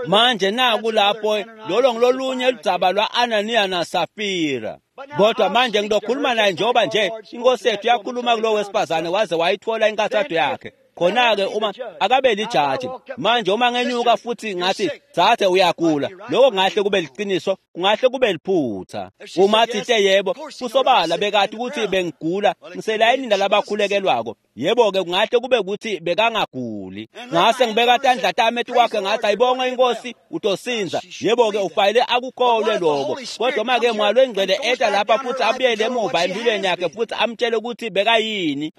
Manje naku lapho lolo ngilolunye ludzaba lwa-Ananiya naSafira. Kodwa manje ngizokhuluma naye njengoba nje inkosi yethu yakhuluma kulo wesifazane waze wayithola inkathato yakhe. Khona-ke uma akabe lijaji, manje uma ngenyuka futhi ngathi dzadze uyagula, lokho kungahle kube liqiniso, kungahle kube liphutha. Uma thite yebo, kusobala bekati ukuthi bengigula, ngiselayinini lalabakhulekelwako. Yebo-ke kungahle kube ukuthi bekangaguli. Ngase ngibeka tandla tami etikwakhe ngathi ayibonge inkosi utosinza. Yebo-ke ufanele akukholwe lokho. Kodwa uma-ke moya longcwele eta lapha futhi abuyele emuva empilweni yakhe futhi amtshele ukuthi bekayini.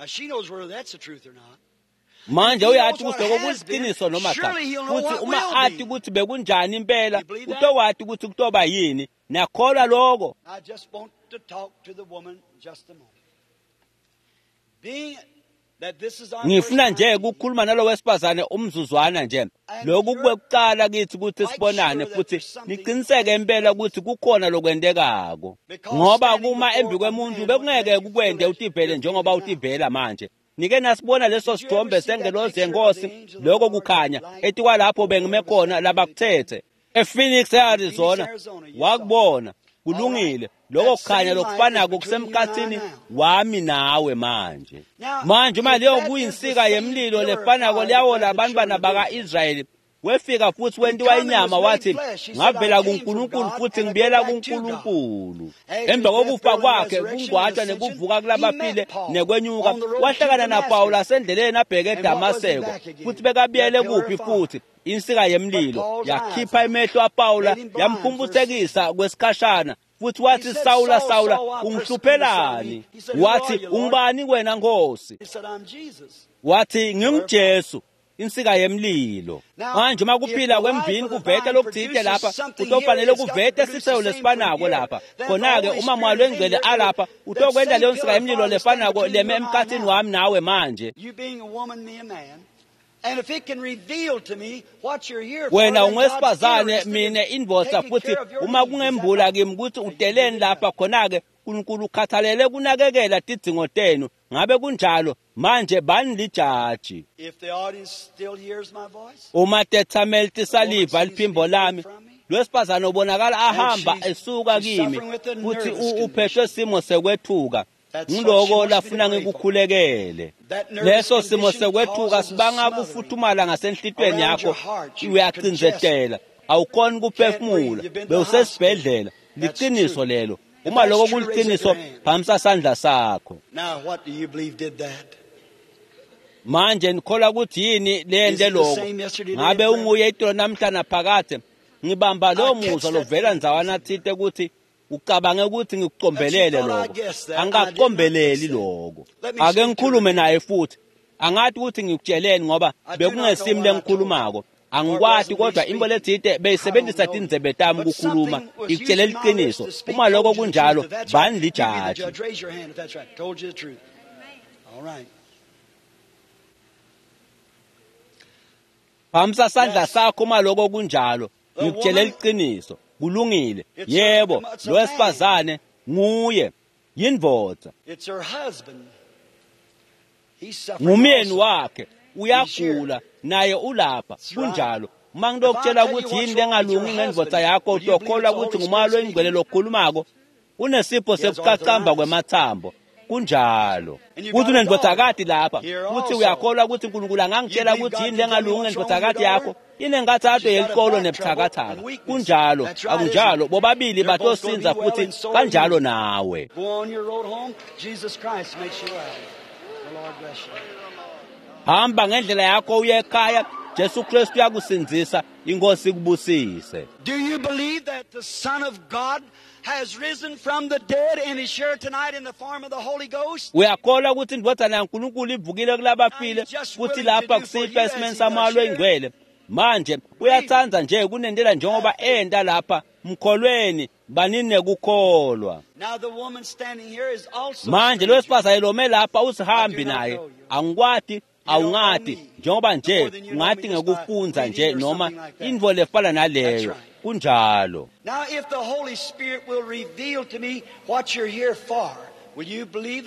Manje uyathi ukuthi lokho kuliqiniso noma cha, futhi uma athi ukuthi bekunjani impela, utowati ukuthi kutoba yini. Niyakholwa lokho? Ngifuna nje ukukhuluma nalo wesifazane umzuzwana nje. Lokhu kwekuqala kithi ukuthi sibonane futhi niqiniseke impela ukuthi kukhona lokwentekako, ngoba kuma embi kwemuntu bekungeke kukwende utivele njengoba utivela manje. Nike nasibona leso sithombe sengelozi yenkosi, lokho kukhanya etikwalapho bengime khona labakuthethe ePhoenix eArizona, wakubona. Kulungile, lokho kukhanya lokufanako kusemkhathini wami nawe manje. Manje uma leyo kuyinsika yemlilo lefanako liyawola abantwana baka-Israyeli, wefika futhi wentiwa inyama wathi, ngavela kuNkulunkulu futhi ngibuyela kuNkulunkulu. Emva kokufa kwakhe, kungcwatshwa nekuvuka kulabaphile nekwenyuka, wahlangana naPawula asendleleni abheke eDamaseko, futhi bekabuyele kuphi futhi? Insika yemlilo yakhipha emehlo aPawula, yamphumputhekisa kwesikhashana, futhi wathi, Sawula, Sawula, ungihluphelani? Wathi, ungubani wena Nkosi? Wathi, nginguJesu, insika yemlilo. Manje uma kuphila kwemvini kuvete lokuthile lapha, kutofanele kuvete siselo lesifanako lapha. Khona-ke uma moya longcwele alapha, utokwenta leyo nsika yemlilo lefanako leme emkhathini wami nawe manje. Wena ungowesifazane, mina indvodza, futhi uma kungembula kimi ukuthi uteleni lapha, khona-ke uNkulunkulu ukhathalele kunakekela tidzingo tenu. Ngabe kunjalo? Manje bani lijaji? Uma tethameli tisaliva liphimbo lami, lwesifazane ubonakala ahamba esuka kimi, futhi uphethwe simo sekwethuka. Ngiloko lafuna ngikukhulekele. Leso simo sekwethuka sibanga kufuthumala ngasenhlitweni yakho, uyacindzetela, awukhoni kuphefumula, bewusesibhedlela. Liqiniso lelo. Uma lokho kuliciniso, phamisa sandla sakho. Manje nikholwa ukuthi yini lente lokho? Ngabe unguye itolo namhla naphakade? Ngibamba lo muzwa lovela ndzawana thite ukuthi ucabange ukuthi ngikucombelele lokho. Angikakucombeleli lokho. Ake ngikhulume naye futhi. Angathi ukuthi ngikutsheleni ngoba bekungesimi lengikhulumako. Angikwati kodwa imbo lethite beyisebenzisa tindzebe tami ukukhuluma ikutshele liqiniso. Uma lokho kunjalo, bani lijaji. Phamisa sandla sakho uma lokho kunjalo, ngikutshele liqiniso. Kulungile. Yebo, lo wesifazane nguye, yindvodza. Ngumyeni wakhe, uyagula naye ulapha. Kunjalo. Uma ngilokutshela ukuthi yini lengalungi ngendvodza yakho, utokholwa ukuthi ngumoya loyingcwele lokhulumako. Unesipho sekucacamba kwemathambo. Kunjalo. Kuthi unendvodzakati lapha, futhi uyakholwa ukuthi uNkulunkulu angangitshela ukuthi yini lengalungi ngendvodzakati yakho. Inengathatho yelikolo nebuthakathaka. Kunjalo, akunjalo. Bobabili batosinza futhi kanjalo nawe. Hamba ngendlela yakho uye ekhaya. Jesu Kristu uyakusindzisa, inkosi ikubusise. Do you believe that the Son of God has risen from the dead and is here tonight in the form of the Holy Ghost? Uyakholwa ukuthi indvodzana yaNkulunkulu ivukile kulabafile futhi lapha kusihlwa esimeni samoya loyingcwele. Manje uyatsandza nje kunendela njengoba enta lapha. Mkholweni, banini nekukholwa. Manje lo wesifazane lome lapha usihambi naye. Angikwati, awungati, njengoba nje ungati ngekufunza nje noma intfo lefana naleyo. Kunjalo.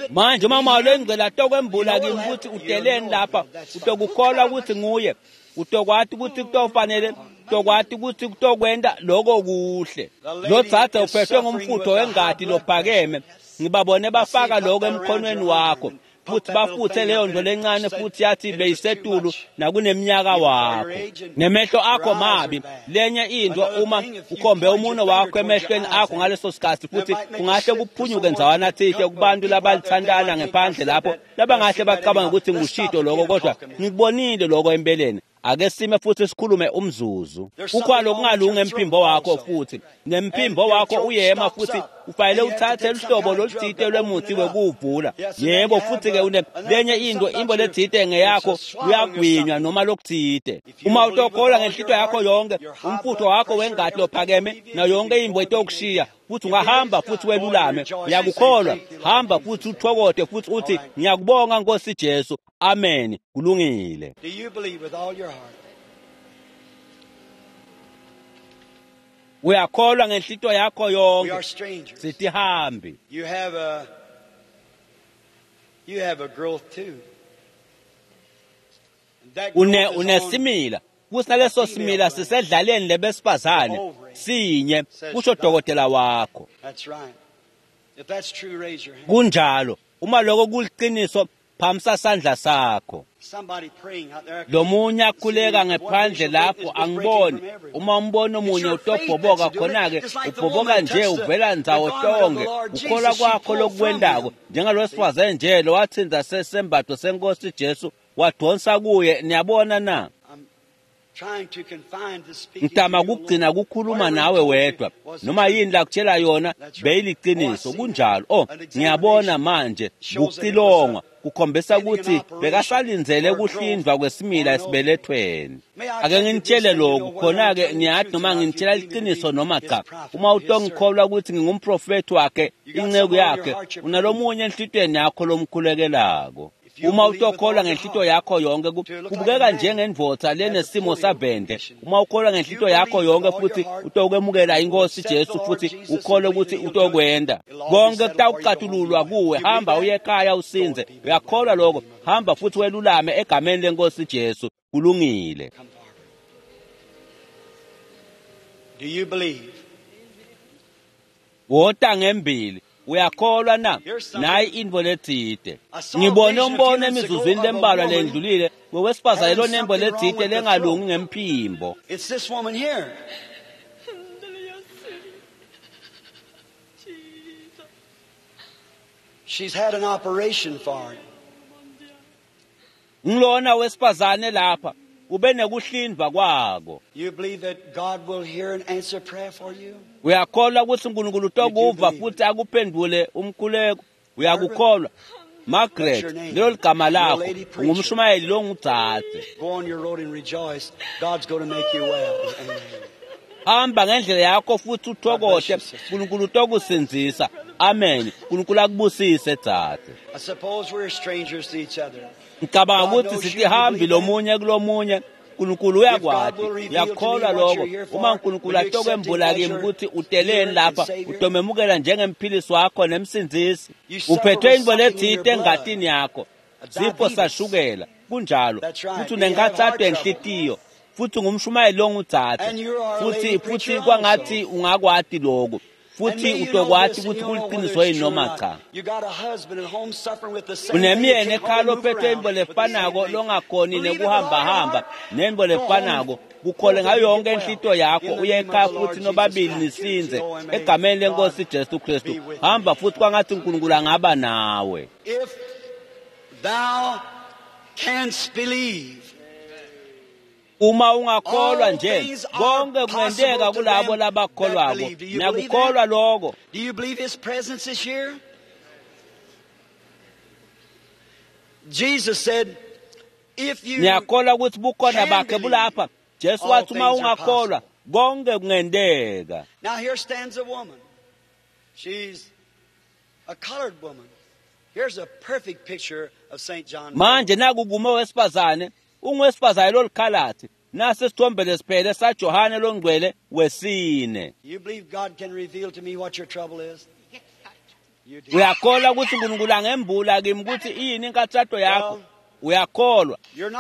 Manje uma umoya loyingcwele atokwembula kimi ukuthi uteleni lapha, utokukholwa ukuthi nguye, utokwati ukuthi kutofanele, utokwati ukuthi kutokwenta lokho kuhle. Lo dzadze uphethwe ngumfutho wengati lophakeme. Ngibabone bafaka lokho emkhonweni wakho futhi bafuthe leyo nto lencane futhi yathi beyisetulu nakuneminyaka wakho. Nemehlo akho mabi. Lenye into, uma ukhombe umuno wakho emehlweni akho ngaleso sikhathi futhi kungahle kuphunyuke ndzawana thite kubantu labalithandana ngephandle lapho labangahle bacabanga ukuthi ngushito lokho, kodwa ngikubonile lokho empeleni. Ake sime futhi sikhulume umzuzu. Kukhona okungalungi emphimbo wakho futhi nemphimbo wakho uyema futhi ufanele uthathe luhlobo loluthite lwemuthi wekuwuvula. Yebo, futhi ke une lenye into, imbo lethite ngeyakho uyagwinywa noma lokuthite. Uma utokholwa ngenhlito yakho yonke, umfutho wakho wengati lophakeme nayo yonke imbo itokushiya futhi ungahamba futhi welulame. Uyakukholwa, hamba futhi uthokote futhi uthi ngiyakubonga Nkosi Jesu. Amen. Kulungile. Do you believe with all your heart? Uyakholwa ngenhlito yakho We yonke. are strangers. Sitihambi. You have a growth too. And that growth is on Unesimila. Futhi naleso simila sisedlaleni lebesifazane sinye, kusho dokotela wakho. That's right. If that's true, raise your hand. Kunjalo. Uma lokho kuliqiniso, phamisa sandla sakho. Somebody praying out there. Lomunye akhuleka ngephandle lapho, angiboni. Uma umbono omunye utobhoboka khona-ke, ubhoboka nje uvela ndzawo tonke. Ukholwa kwakho lokukwendako, njengalowesifazane nje lowathinza sesembatho senkosi Jesu wadonsa kuye. Niyabona na? Trying to confine the speaking Ngitama to you kugcina alone. kukhuluma Whatever nawe he told you wedwa. was the Noma truth. yini lakutshela yona That's right. beyiliqiniso. Oh, I see Kunjalo. now. Oh, An ngiyabona examination manje shows that it kucilongwa was a kukhombisa pending an ukuthi operation bekasalindzele for growth kuhlindwa kwesimila on an esibelethweni. May I Ake tell you nginitshele this, that you lokhu know whether I'm khona-ke, telling the niyathi truth noma or not, you nginitshela believe me to liqiniso be noma his cha. prophet, Uma his utongikholwa ukuthi ngingumprofethi wakhe, You got inceku someone in your yakhe, heart you're unalomunye enhlitweni yakho lomkhulekelako. If you Uma believe with utokholwa all your ngenhlito heart, yakho yonke, to look like kubukeka a man njengendvodza has a lenesimo polio savende. condition. Uma ukholwa If you ngenhlito yakho believe with yonke all your futhi heart, utokwemukela inkosi accept the Jesu Lord futhi Jesus and ukholwe believe ukuthi that he'll do it, utokwenda. it'll all be Konke settled for you. Go home and be kutawucatululwa well. kuwe. You believe Hamba that? uye ekhaya Go usinze. and be well Uyakholwa in the lokho? name of the Hamba Lord. futhi welulame egameni lenkosi Jesu. Kulungile. Come forward. Do you believe? Wota ngembili. Uyakholwa na? Here's something. Nayi intfo letsite. I saw a Ngibone vision a few umbono minutes ago emizuzwini of a lembalwa woman lendlulile wowesifazane having lonembo something wrong letsite with the lengalungi throat. ngemphimbo. It's this woman here. She's had an operation for it. Ngilona wesifazane lapha ube nekuhlindwa kwako. You believe that God will hear and answer prayer for you? Uyakholwa ukuthi uNkulunkulu utokuva futhi akuphendule umkhuleko? Uyakukholwa? Margaret, lelo ligama lakho, ungumshumayeli longudzadze. Go on your road and rejoice. God's going to make you well. Amen. Hamba ngendlela yakho futhi uthokote, uNkulunkulu utokusindzisa. Amen. uNkulunkulu akubusise dzadze. I suppose we're strangers to each other. Ngicabanga ukuthi sitihambi lomunye kulomunye. uNkulunkulu uyakwati, uyakholwa lokho. Uma uNkulunkulu atokwembula kimi ukuthi uteleni lapha, utomemukela njengemphilisi wakho nemsindzisi. Uphethwe into letsite engatini yakho, sifo sashukela, kunjalo. Futhi unenkathato yenhlitiyo, futhi ungumshumayeli longudzadze, futhi kwangathi ungakwati lokho. Futhi utokwati ukuthi kuliqiniso yini noma cha. Unemyeni ekhaya lophethe into lefanako longakhoni nekuhambahamba nento lefanako, kukhole ngayo yonke inhlito yakho, uye ekhaya futhi nobabili nisinze egameni lenkosi Jesu Kristu. Hamba futhi kwangathi uNkulunkulu angaba nawe. If thou canst believe. Uma ungakholwa nje, konke kungenteka kulabo labakholwako. Niyakukholwa lokho? Do you believe his presence is here? Jesus said, if you Niyakholwa ukuthi bukhona bakhe bulapha? Jesu wathi uma ungakholwa, konke kungenteka. Now here stands a woman. She's a colored woman. Here's a perfect picture of St. John. Manje naku kume wesifazane, ungwesifazane lolikhalathi. Nasi isithombe lesiphele saJohane longcwele wesine. You believe God can reveal to me what your trouble is? You do. Uyakholwa ukuthi uNkulunkulu angembula kimi ukuthi iyini inkathato yakho? Uyakholwa?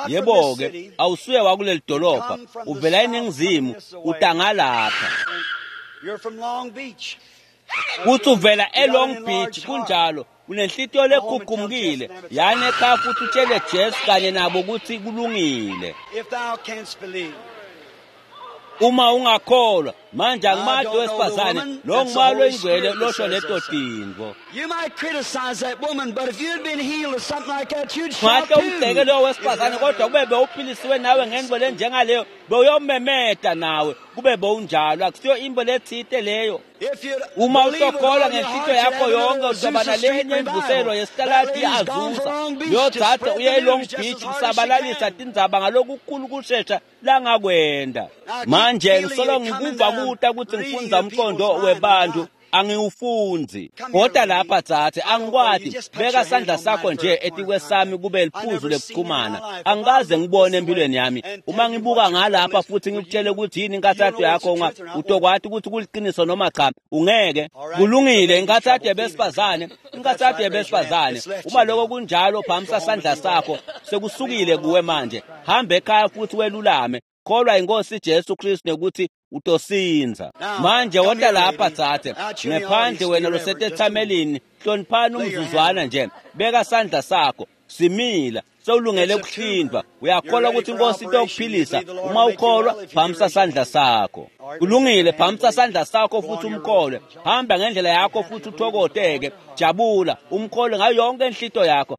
Yebo-ke, awusuye wakuleli dolobha, uvela eningizimu, utangalapha. You're from Long Beach. Kuthi uvela eLong Beach, kunjalo. Unenhlitiyo lekhukhumukile, yani ekhaya futhi utshele Jesu kanye nabo ukuthi kulungile. If thou canst believe. Uma ungakholwa, manje angimati wesifazane, lo ngumalo oyingcwele losho leto tintfo. You might criticize that woman, but if you'd been healed or something like that, you'd shout Ungahle umgxeke too. lowo wesifazane, kodwa kube bewuphilisiwe nawe ngenvo lenjengaleyo, bewuyomemeta nawe, kube bewunjalo. Akusiyo into letsite leyo. If you'd Uma believe with utokholwa all your ngenhlitiyo heart, you'd yakho have yonke, another uzoba Azusa nalenye Street imvuselo revival. yesitalati That lady's gone i-Azusa. for Long Beach Leyo to dzadze spread the uye eLong news just Beach as hard as she kusabalalisa can. tindzaba ngalokukhulu kushesha langakwenda. Manje ngisolo ngikuva kuta ukuthi ngifundza umqondo webantu, angiwufundzi. Kodwa lapha dzadze, angikwati, beka sandla sakho nje etikwesami kube liphuzu lekuchumana. Angikaze ngibone empilweni yami. Uma ngibuka ngalapha futhi ngikutshele ukuthi yini inkathato yakho, utokwati ukuthi kuliqiniso noma cha, ungeke. Kulungile, inkathato yabesifazane, inkathato yabesifazane. Uma lokho kunjalo, phamisa sandla sakho, sekusukile kuwe manje. Hamba ekhaya futhi welulame. Kholwa inkosi Jesu Kristu nekuthi utosinza. Manje wota lapha dzadze, ngephandle wena losetethamelini, hloniphani umzuzwana nje. Beka sandla sakho, simila, sewulungele kuhlindwa. Uyakholwa ukuthi inkosi itokuphilisa? Uma ukholwa, phamisa sandla sakho. Kulungile, phamisa sandla sakho futhi umkholwe. Hamba ngendlela yakho futhi uthokoteke. Jabula, umkholwe ngayo yonke inhlito yakho.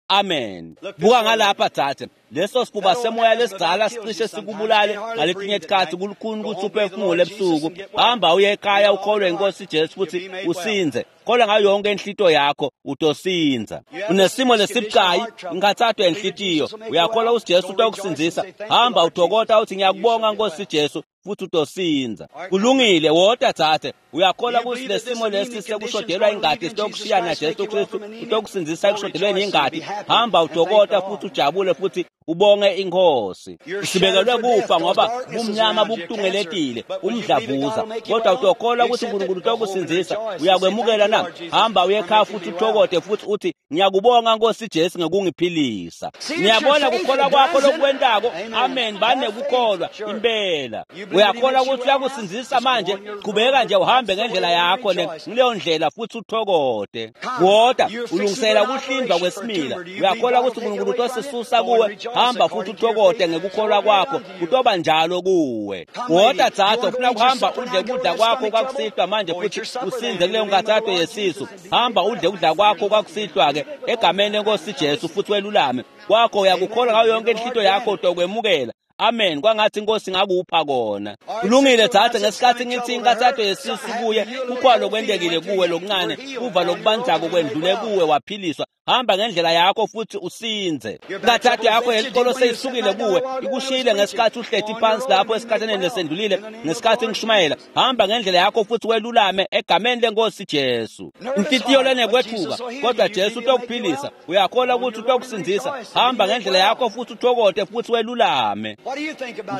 Amen. Buka ngalapha dzadze, leso sifuba semoya lesidzala sicishe sikubulale ngaletinye tikhatsi, kulukhuni ukuthi uphefumule ebusuku. Hamba uye ekhaya ukholwe inkosi Jesu futhi usinze. Kholwa ngayo yonke inhlito yakho, utosinza. Unesimo lesibucayi, inkathato yenhlitiyo. Uyakholwa ukuthi Jesu utokusindzisa? Hamba uthokota uthi ngiyakubonga Nkosi Jesu futhi utosinza. Kulungile, wota dzadze. Uyakholwa ukuthi lesimo lesi sekushodelwa ingati sitokushiya na Jesu Kristu utokusindzisa ekushodelweni ingati? Hamba uthokota futhi ujabule futhi ubonge inkosi. Sibekelwe kufa ngoba bumnyama bukutungeletile, umdlavuza. Kodwa utokholwa ukuthi uNkulunkulu utokusindzisa? Uyakwemukela na? Hamba uye ekhaya futhi uthokote futhi uthi ngiyakubonga Nkosi Jesu ngokungiphilisa. Ngiyabona kukholwa kwakho lokwentako. Amen. Banekukholwa impela. Uyakholwa ukuthi uyakusindzisa manje? Qhubeka nje uhambe ngendlela yakho ngileyo ndlela futhi uthokote. Kodwa ulungisela ukuhlindwa kwesimila. Uyakholwa ukuthi uNkulunkulu utosisusa kuwe? Hamba futhi uthokote ngekukholwa kwakho, kutoba njalo kuwe. Wota dzadze, ufuna kuhamba udle kudla kwakho kwakusihlwa manje futhi usinze kuleyo nkathato yesisu. Hamba udle kudla kwakho kwakusihlwa-ke egameni lenkosi Jesu futhi welulame. Kwakho uyakukholwa ngayo yonke inhlito yakho utokwemukela. Amen. Kwangathi inkosi ngakupha kona. Kulungile dzadze, ngesikhathi ngithi inkathato yesisu kuye, kukhona lokwentekile kuwe lokuncane, kuva lokubanzako kwendlule kuwe waphiliswa. Hamba ngendlela yakho futhi usinze. Inkathato yakho yelikolo seyisukile kuwe, ikushiyile ngesikhathi uhleti phansi lapho esikhathaneni lesendlulile, ngesikhathi ngishumayela. Hamba ngendlela yakho futhi welulame egameni lenkosi Jesu. Inhlitiyo lenekwethuka, kodwa Jesu utokuphilisa. Uyakholwa ukuthi utokusindzisa. Hamba ngendlela yakho futhi uthokote futhi welulame.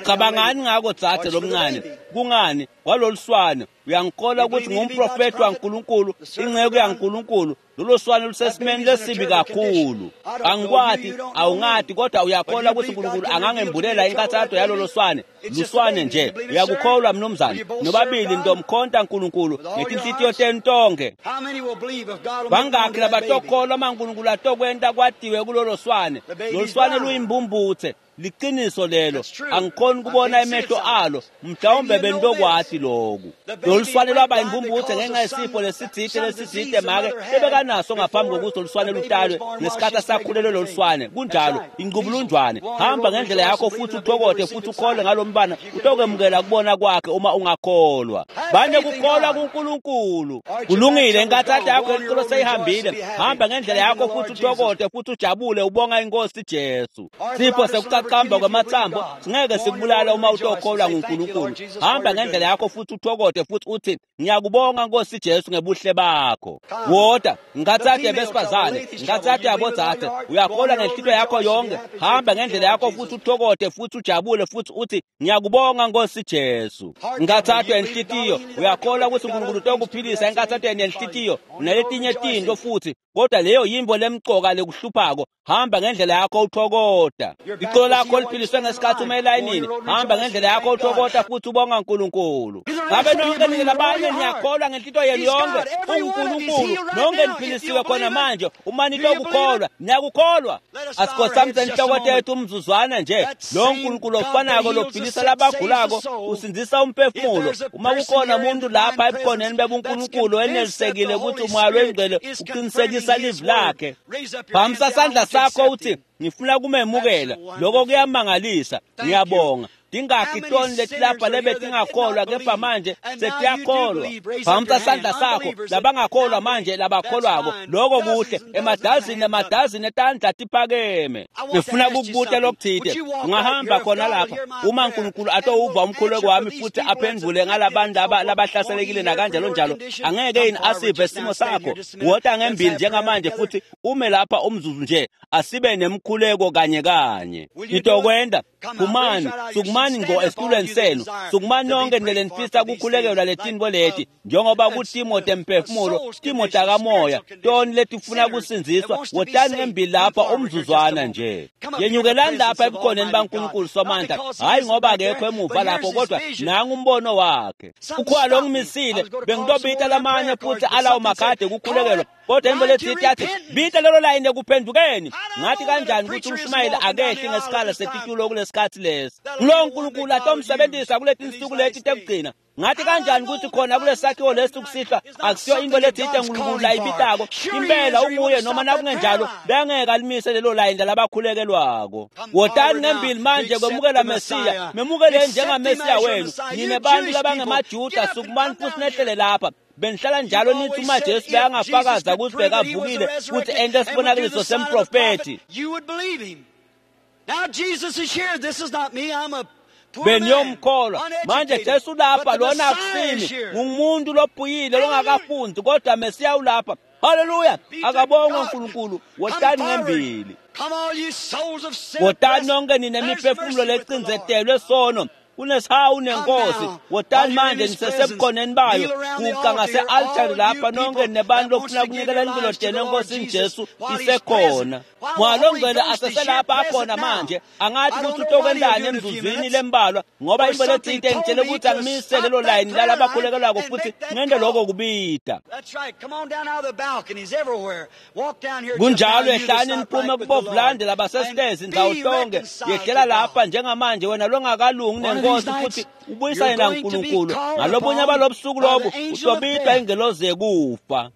Ucabangani ngako dzadze lomncane? Kungani kwaloluswane? Uyangikholwa ukuthi ngumprofeti waNkulunkulu, inceku yaNkulunkulu. Lolo swane lusesimeni lesibi kakhulu. Angikwati, awungati, kodwa uyakholwa ukuthi uNkulunkulu angangembulela inkathato yalolo swane. Luswane nje. Uyakukholwa mnumzane? Nobabili ntomkhonta uNkulunkulu ngetinhlitiyo tenu tonke. Bangakhi labatokholwa uma uNkulunkulu atokwenta kwatiwe kulolo swane? Lolu swane luyimbumbuthe. Liqiniso lelo. Angikhoni kubona emehlo alo, mhlawumbe bentokwati loku. Lolu swane lwaba imbumbuthe ngenxa yesifo lesitsite make lebekanaso ngaphambi kokuthi lolu swane lutalwe, ngesikhathi asakhulelwe lolu swane. Kunjalo, inqubulunjwane. Hamba ngendlela yakho futhi uthokote futhi ukholwe ngalo mbana, utokwemukela kubona kwakhe uma ungakholwa. Bane kukholwa kuNkulunkulu. Kulungile, inkathato yakho yelicolo seyihambile. Hamba ngendlela yakho futhi uthokote futhi ujabule ubonga inkosi Jesu. Sifo sekuqaqamba kwamathambo singeke sikubulala uma utokholwa nguNkulunkulu. Hamba ngendlela yakho futhi uthokote futhi uthi ngiyakubonga Nkosi Jesu ngebuhle bakho. Wota, inkathato yabesifazane, inkathato yabodzadze, uyakholwa ngenhlitiyo yakho yonke. Hamba ngendlela yakho futhi uthokote futhi ujabule futhi uthi ngiyakubonga Nkosi Jesu. Inkathato yenhlitiyo, uyakholwa ukuthi uNkulunkulu utokuphilisa inkathato yenhlitiyo naletinye tinto futhi, kodwa leyo yimbo lemcoka lekuhluphako. Hamba ngendlela yakho uthokota. Icolo lakho liphiliswe ngesikhathi ume elayinini. Hamba ngendlela yakho uthokota futhi ubonga uNkulunkulu. Ngabe nonke nina labanye niyakholwa ngenhlitiyo yenu yonke? UNkulunkulu nonke niphilisiwe khona manje uma nitokukholwa. Niyakukholwa? Asikhothamise inhloko tethu umzuzwana nje. Lo Nkulunkulu ofanako lophilisa labagulako usindzisa umphefumulo. Uma kukhona umuntu lapha ebukhoneni bebuNkulunkulu enelisekile ukuthi umoya lwengcwele uqinisekisa livi lakhe, phamisa sandla sakho uthi ngifuna kumemukela. Lokho kuyamangalisa. Ngiyabonga. Tingakhi toni letilapha lebe tingakholwa kepha manje setiyakholwa. Phamisa sandla sakho labangakholwa manje labakholwako. Lokho kuhle. Emadazini emadazini etandla tiphakeme. Ngifuna kukubuta lokuthite. Ungahamba khona lapha uma uNkulunkulu atowuva umkhuleko wami futhi aphendvule ngalabantu laba labahlaselekile nakanjalo njalo, angeke yini asive simo sakho? Wota ngembili njengamanje futhi ume lapha umzuzu nje, asibe nemkhuleko kanye kanye. Nitokwenda. Phumani, sukumani ngo esitulweni senu, sukumani nonke nile nifisa kukhulekelwa letinto leti, njengoba kutimo temphefumulo, timo takamoya, toni letifuna kusindziswa. Wotani ngembili lapha umzuzwana nje. Yenyukelani lapha ebukhoneni baNkulunkulu Somandla, hhayi ngoba akekho emuva lapho, kodwa nangu umbono wakhe. Ukhona longimisile, bengitobita lamanye futhi alawo makhadi ekukhulekelwa, kodwa into letsite yathi bita lelo layini ekuphendukeni. Ngathi kanjani ukuthi umshumayeli akehli ngesikhala setitulo kulesikhathi lesi? Ngulowo Nkulunkulu atomsebenzisa kuleti nsuku leti tekugcina. Ngathi kanjani ukuthi khona kulesakhiwo lesi kusihlwa akusiyo into letsite uNkulunkulu layibitako? Impela unguye, noma nakungenjalo bengeke alimise lelo layini labakhulekelwako. Wotani ngembili manje kwemukela Mesiya. Memukeleni njengaMesiya wenu. Nine bantu labangemaJuda, sukumani futhi nehlele lapha. Benihlala njalo nithi uma Jesu bekangafakaza ukuthi bekavukile futhi ente sibonakaliso semprofethi, beniyomkholwa. Manje Jesu ulapha, lona akusimi, ngumuntu lophuyile longakafundi, kodwa Mesiya ulapha. Haleluya! Akabongwe uNkulunkulu. Wotani ngembili. Wotani nonke nine miphefumulo lecindzetelwe sono, kunesihawu nenkosi. Wotani manje nisesebukhoneni bayo, guqa ngase-altari lapha nonke nebantu lokufuna kunikela impilo tenu enkosini Jesu isekhona. Moya longcwele aseselapha akhona manje. Angathi ukuthi utokwentani emzuzwini lembalwa, ngoba intfo letsite ngitshele ukuthi angimise lelo layini lalabakhulekelwako futhi ngente loko kubita. Kunjalo, ehlani niphume kubovulande labasesitezi ndzawo tonke. Yehlela lapha njengamanje wena longakalungi nenkosi futhi ubuyisane naNkulunkulu. Ngalobunye balobusuku lobu utobitwa ingelozi yekufa.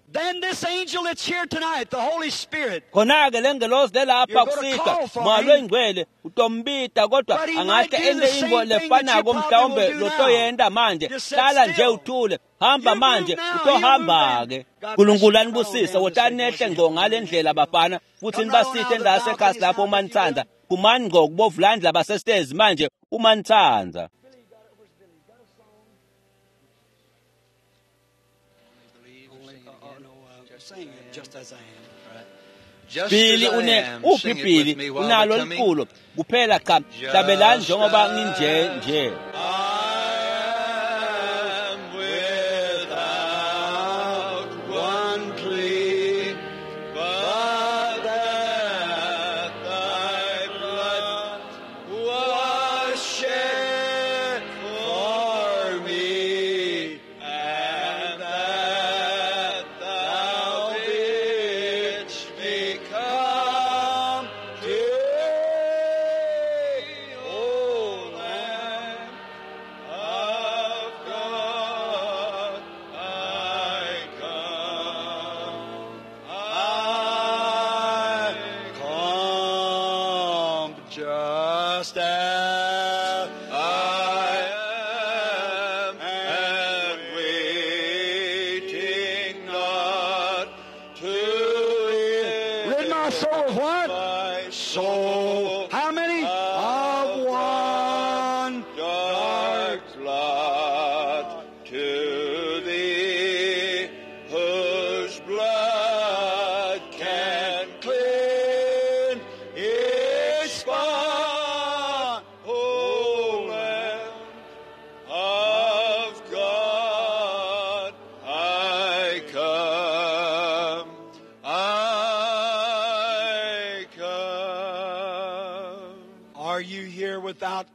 Khona-ke le ngelozi lelapha kusihlwa, Moya loyingcwele utombita, kodwa angahle ente intfo lefanako mhlawumbe lotoyenta manje. Hlala nje uthule, hamba manje, utohamba-ke. Nkulunkulu anibusise, wotani nehle ngco ngale ndlela bafana, futhi nibasite endasekhasi lapho uma nitsandza. Phumani ngco kubovulande labasesitezi manje uma nitsandza. Billy une uphi Billy unalo liculo kuphela cha hlabelani njengoba nginje nje.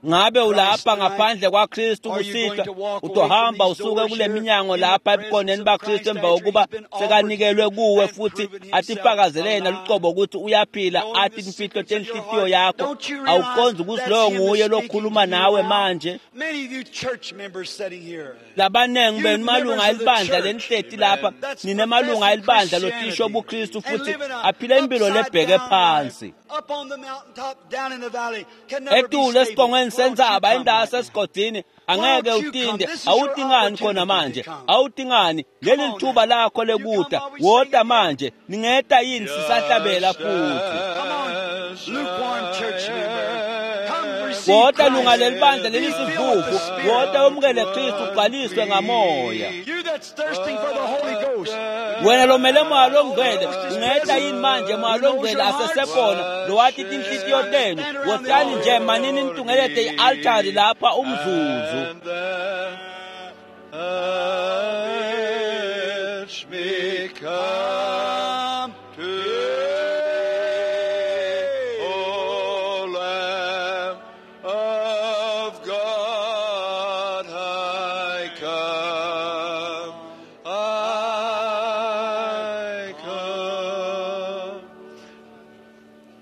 Ngabe ulapha ngaphandle kwaKristu kusihlwa, utohamba usuke kule minyango lapha ebukhoneni baKristu emva kokuba sekanikelwe kuwe futhi atifakazele yena lucobo ukuthi uyaphila, athi imfihlo tenhlitiyo yakho. Awuqondzi ukuthi loyo nguye lokhuluma nawe manje. Labanengi benu malunga elibandla lenihleti lapha, ninemalunga elibandla lotisho buKristu futhi aphila impilo lebheke phansi. Etulu esiqongweni sentsaba indawo sesigodini angeke utinde. Awutingani khona manje, awutingani. Leli lithuba lakho lekuta, wota manje. Ningeta yini sisahlabela futhi? Wota lunga lelibandla lelisivuvu, wota umukele Kristu ugcwaliswe ngamoya. Wena lomele Moya longcwele, ungeta yini manje? Moya longcwele asesekhona lowati tinhlitiyo tenu. Wotani nje manini nitungelete i-altari lapha umzuzu.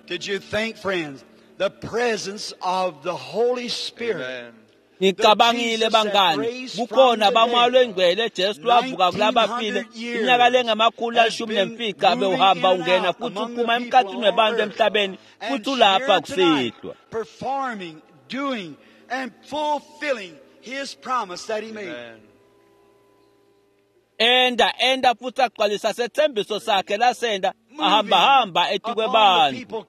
Did you think, friends, the presence of the Holy Spirit? Ngicabangile bangani, kukhona bamoya lwengcwele Jesu lwavuka kulabafile iminyaka lengamakhulu 15 bewuhamba ungena futhi uphuma emkhathini webantu emhlabeni futhi ulapha kusihlwa. Performing, doing and fulfilling his promise that he made. Enda futhi agcwalisa sethembiso sakhe lasenda ahamba hamba etikwebantu.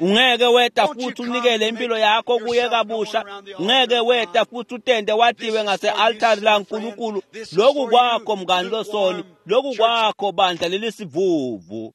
Ungeke weta futhi unikele impilo yakho kuye kabusha. Ungeke weta futhi utende watiwe ngase-altari laNkulunkulu. Lokhu kwakho mngani losoni, lokhu kwakho bandla lelisivuvu.